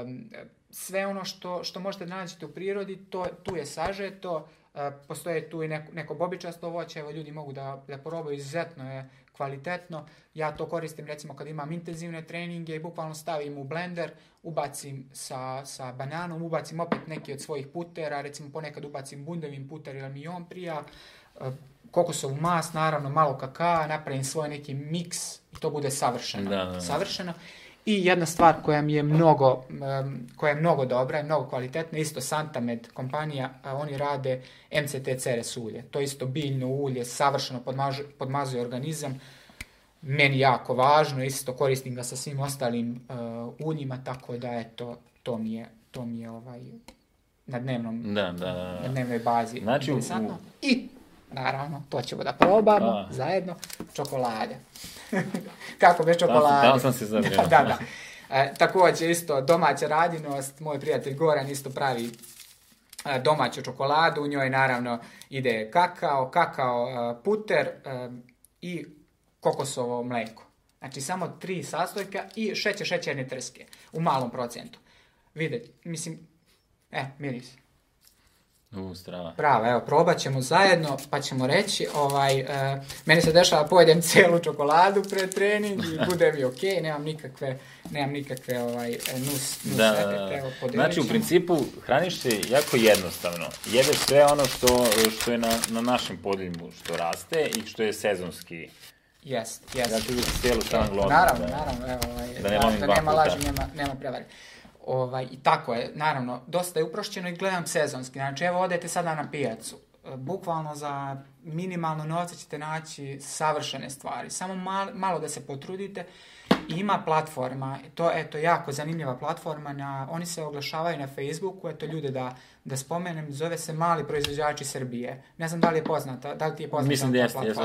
[SPEAKER 2] Um, sve ono što, što možete naći u prirodi, to, tu je sažeto, uh, postoje tu i neko, neko bobičasto voće, evo ljudi mogu da, da probaju, izuzetno je kvalitetno. Ja to koristim recimo kad imam intenzivne treninge i bukvalno stavim u blender, ubacim sa, sa bananom, ubacim opet neki od svojih putera, recimo ponekad ubacim bundevin puter ili mi i on prija, uh, kokosovu mast, naravno malo kakaa, napravim svoj neki miks i to bude savršeno.
[SPEAKER 1] Da, da, da.
[SPEAKER 2] Savršeno. I jedna stvar koja mi je mnogo, um, koja je mnogo dobra i mnogo kvalitetna, isto Santamed kompanija, a oni rade M C T Ceres ulje. To je isto biljno ulje, savršeno podmažu, podmazuje organizam. Meni jako važno, isto koristim ga sa svim ostalim uh, uljima, tako da eto, to mi je, to mi je ovaj, na, dnevnom,
[SPEAKER 1] da, da, da.
[SPEAKER 2] na dnevnoj bazi
[SPEAKER 1] znači,
[SPEAKER 2] interesantno. U... I naravno, to ćemo da probamo a. zajedno, čokolade. Kako bez čokolade?
[SPEAKER 1] Tamo sam se zabrio.
[SPEAKER 2] Da, da, da. E, također isto domaća radinost, moj prijatelj Goran isto pravi e, domaću čokoladu, u njoj naravno ide kakao, kakao e, puter e, i kokosovo mleko. Znači samo tri sastojka i šećer šećerne trske u malom procentu. Vidite, mislim, e, miris.
[SPEAKER 1] U, strava.
[SPEAKER 2] Prava, evo, probat ćemo zajedno, pa ćemo reći, ovaj, e, meni se dešava, pojedem cijelu čokoladu pred trening i bude mi okej, okay, nemam nikakve, nemam nikakve ovaj, nus, nus
[SPEAKER 1] da,
[SPEAKER 2] efekte, evo,
[SPEAKER 1] znači, u principu, hraniš se jako jednostavno. Jedeš sve ono što, što je na, na našem podljumu, što raste i što je sezonski.
[SPEAKER 2] Jest, jest.
[SPEAKER 1] Znači, uvijek cijelu stranu glodnu.
[SPEAKER 2] Naravno,
[SPEAKER 1] da,
[SPEAKER 2] naravno, evo, ovaj,
[SPEAKER 1] da, ne
[SPEAKER 2] da, da nema laži, nema, nema prevari. Ovaj, i tako je, naravno, dosta je uprošćeno i gledam sezonski. Znači, evo, odete sada na pijacu. Bukvalno za minimalno novca ćete naći savršene stvari. Samo malo, malo da se potrudite. I ima platforma, to je eto, jako zanimljiva platforma, na, oni se oglašavaju na Facebooku, eto ljude da, da spomenem, zove se Mali proizvođači Srbije. Ne znam da li je poznata, da li ti je poznata
[SPEAKER 1] Mislim da jeste, jeste,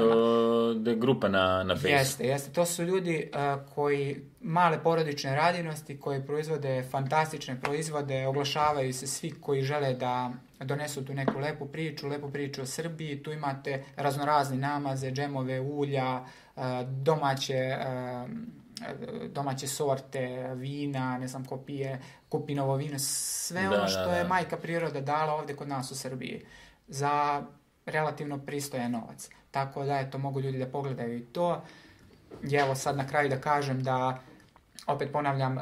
[SPEAKER 1] da je grupa na, na Facebooku.
[SPEAKER 2] Jeste, jeste, to su ljudi uh, koji male porodične radinosti, koji proizvode fantastične proizvode, oglašavaju se svi koji žele da donesu tu neku lepu priču, lepu priču o Srbiji, tu imate raznorazne namaze, džemove, ulja, uh, domaće uh, domaće sorte, vina, ne znam ko pije, kupinovo vino, sve da, ono što da, da. je majka priroda dala ovdje kod nas u Srbiji za relativno pristojan novac. Tako da, eto, mogu ljudi da pogledaju i to. I evo sad na kraju da kažem da, opet ponavljam,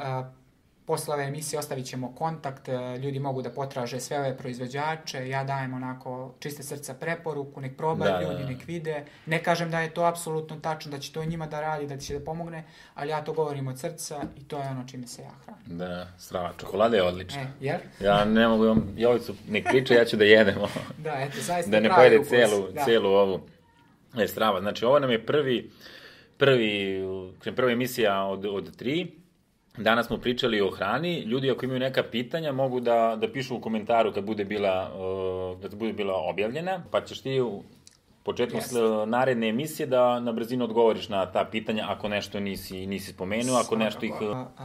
[SPEAKER 2] posle ove emisije ostavit ćemo kontakt, ljudi mogu da potraže sve ove proizvođače, ja dajem onako čiste srca preporuku, nek probaju da, ljudi, nek vide. Ne kažem da je to apsolutno tačno, da će to njima da radi, da će da pomogne, ali ja to govorim od srca i to je ono čime se ja hranim.
[SPEAKER 1] Da, strava, čokolada je odlična.
[SPEAKER 2] E, jer?
[SPEAKER 1] Ja ne mogu, vam, Jovicu nek priča, ja ću da jedemo.
[SPEAKER 2] Da, eto, zaista
[SPEAKER 1] da ne pojede celu, celu ovu. E, strava, znači ovo nam je prvi, prvi, prva emisija od, od tri. Danas smo pričali o hrani. Ljudi ako imaju neka pitanja mogu da, da pišu u komentaru kad bude bila, uh, kad bude bila objavljena, pa ćeš ti u početku yes. naredne emisije da na brzinu odgovoriš na ta pitanja ako nešto nisi, nisi spomenuo, ako nešto ih...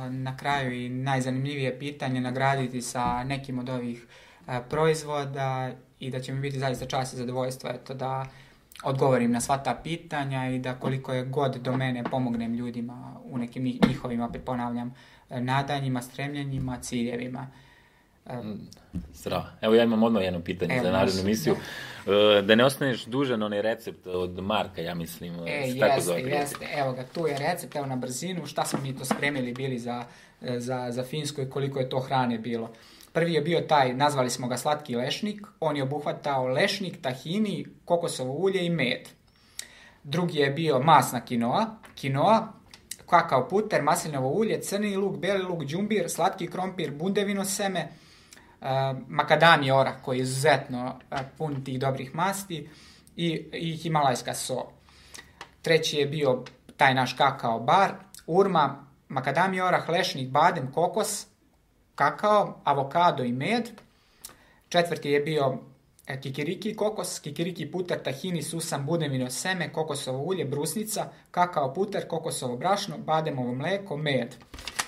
[SPEAKER 2] Na kraju i najzanimljivije pitanje nagraditi sa nekim od ovih uh, proizvoda i da će mi biti zaista čast i zadovoljstvo eto, da odgovorim na sva ta pitanja i da koliko je god do mene pomognem ljudima u nekim njihovim, opet ponavljam, nadanjima, stremljenjima, ciljevima.
[SPEAKER 1] Strava. Evo ja imam odmah jedno pitanje Evo, za narednu emisiju. Da. da ne ostaneš dužan onaj recept od Marka, ja mislim.
[SPEAKER 2] E, jeste, jeste. Evo ga, tu je recept, evo na brzinu, šta smo mi to spremili bili za, za, za Finsku i koliko je to hrane bilo. Prvi je bio taj, nazvali smo ga slatki lešnik, on je obuhvatao lešnik, tahini, kokosovo ulje i med. drugi je bio masna kinoa, kinoa, kakao puter, maslinovo ulje, crni luk, beli luk, džumbir, slatki krompir, bundevino seme, uh, makadamije orah koji je izuzetno uh, pun tih dobrih masti i, i himalajska so. Treći je bio taj naš kakao bar, urma, makadamije orah, lešnik, badem, kokos, kakao, avokado i med. Četvrti je bio kikiriki kokos, kikiriki puter, tahini, susam, bundevino seme, kokosovo ulje, brusnica, kakao puter, kokosovo brašno, bademovo mleko, med.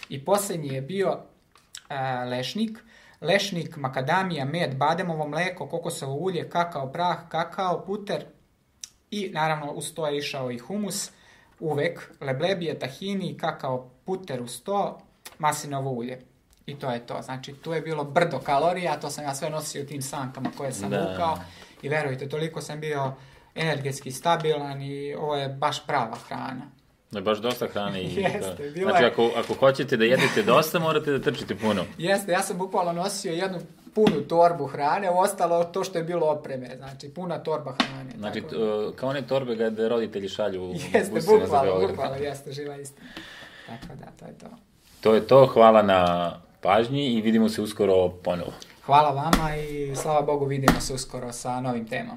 [SPEAKER 2] I posljednji je bio uh, lešnik, lešnik, makadamija, med, bademovo mleko, kokosovo ulje, kakao prah, kakao puter i naravno uz to je išao i humus, uvek, leblebije, tahini, kakao puter uz to, maslinovo ulje. I to je to. Znači, tu je bilo brdo kalorija, to sam ja sve nosio u tim sankama koje sam da. vukao i verujte, toliko sam bio energetski stabilan i ovo je baš prava hrana.
[SPEAKER 1] Da je baš dosta hrane. I
[SPEAKER 2] Jeste,
[SPEAKER 1] da. Znači, ako, ako hoćete da jedete dosta, morate da trčite puno.
[SPEAKER 2] Jeste, ja sam bukvalno nosio jednu punu torbu hrane, ostalo to što je bilo opreme, znači puna torba hrane.
[SPEAKER 1] Znači,
[SPEAKER 2] tako.
[SPEAKER 1] T, kao one torbe kada roditelji šalju u
[SPEAKER 2] Jeste, bukvalno, bukvalno, jeste, živa istina. Tako da, to je to.
[SPEAKER 1] To je to, hvala na pažnji i vidimo se uskoro ponovo.
[SPEAKER 2] Hvala vama i slava Bogu vidimo se uskoro sa novim temama.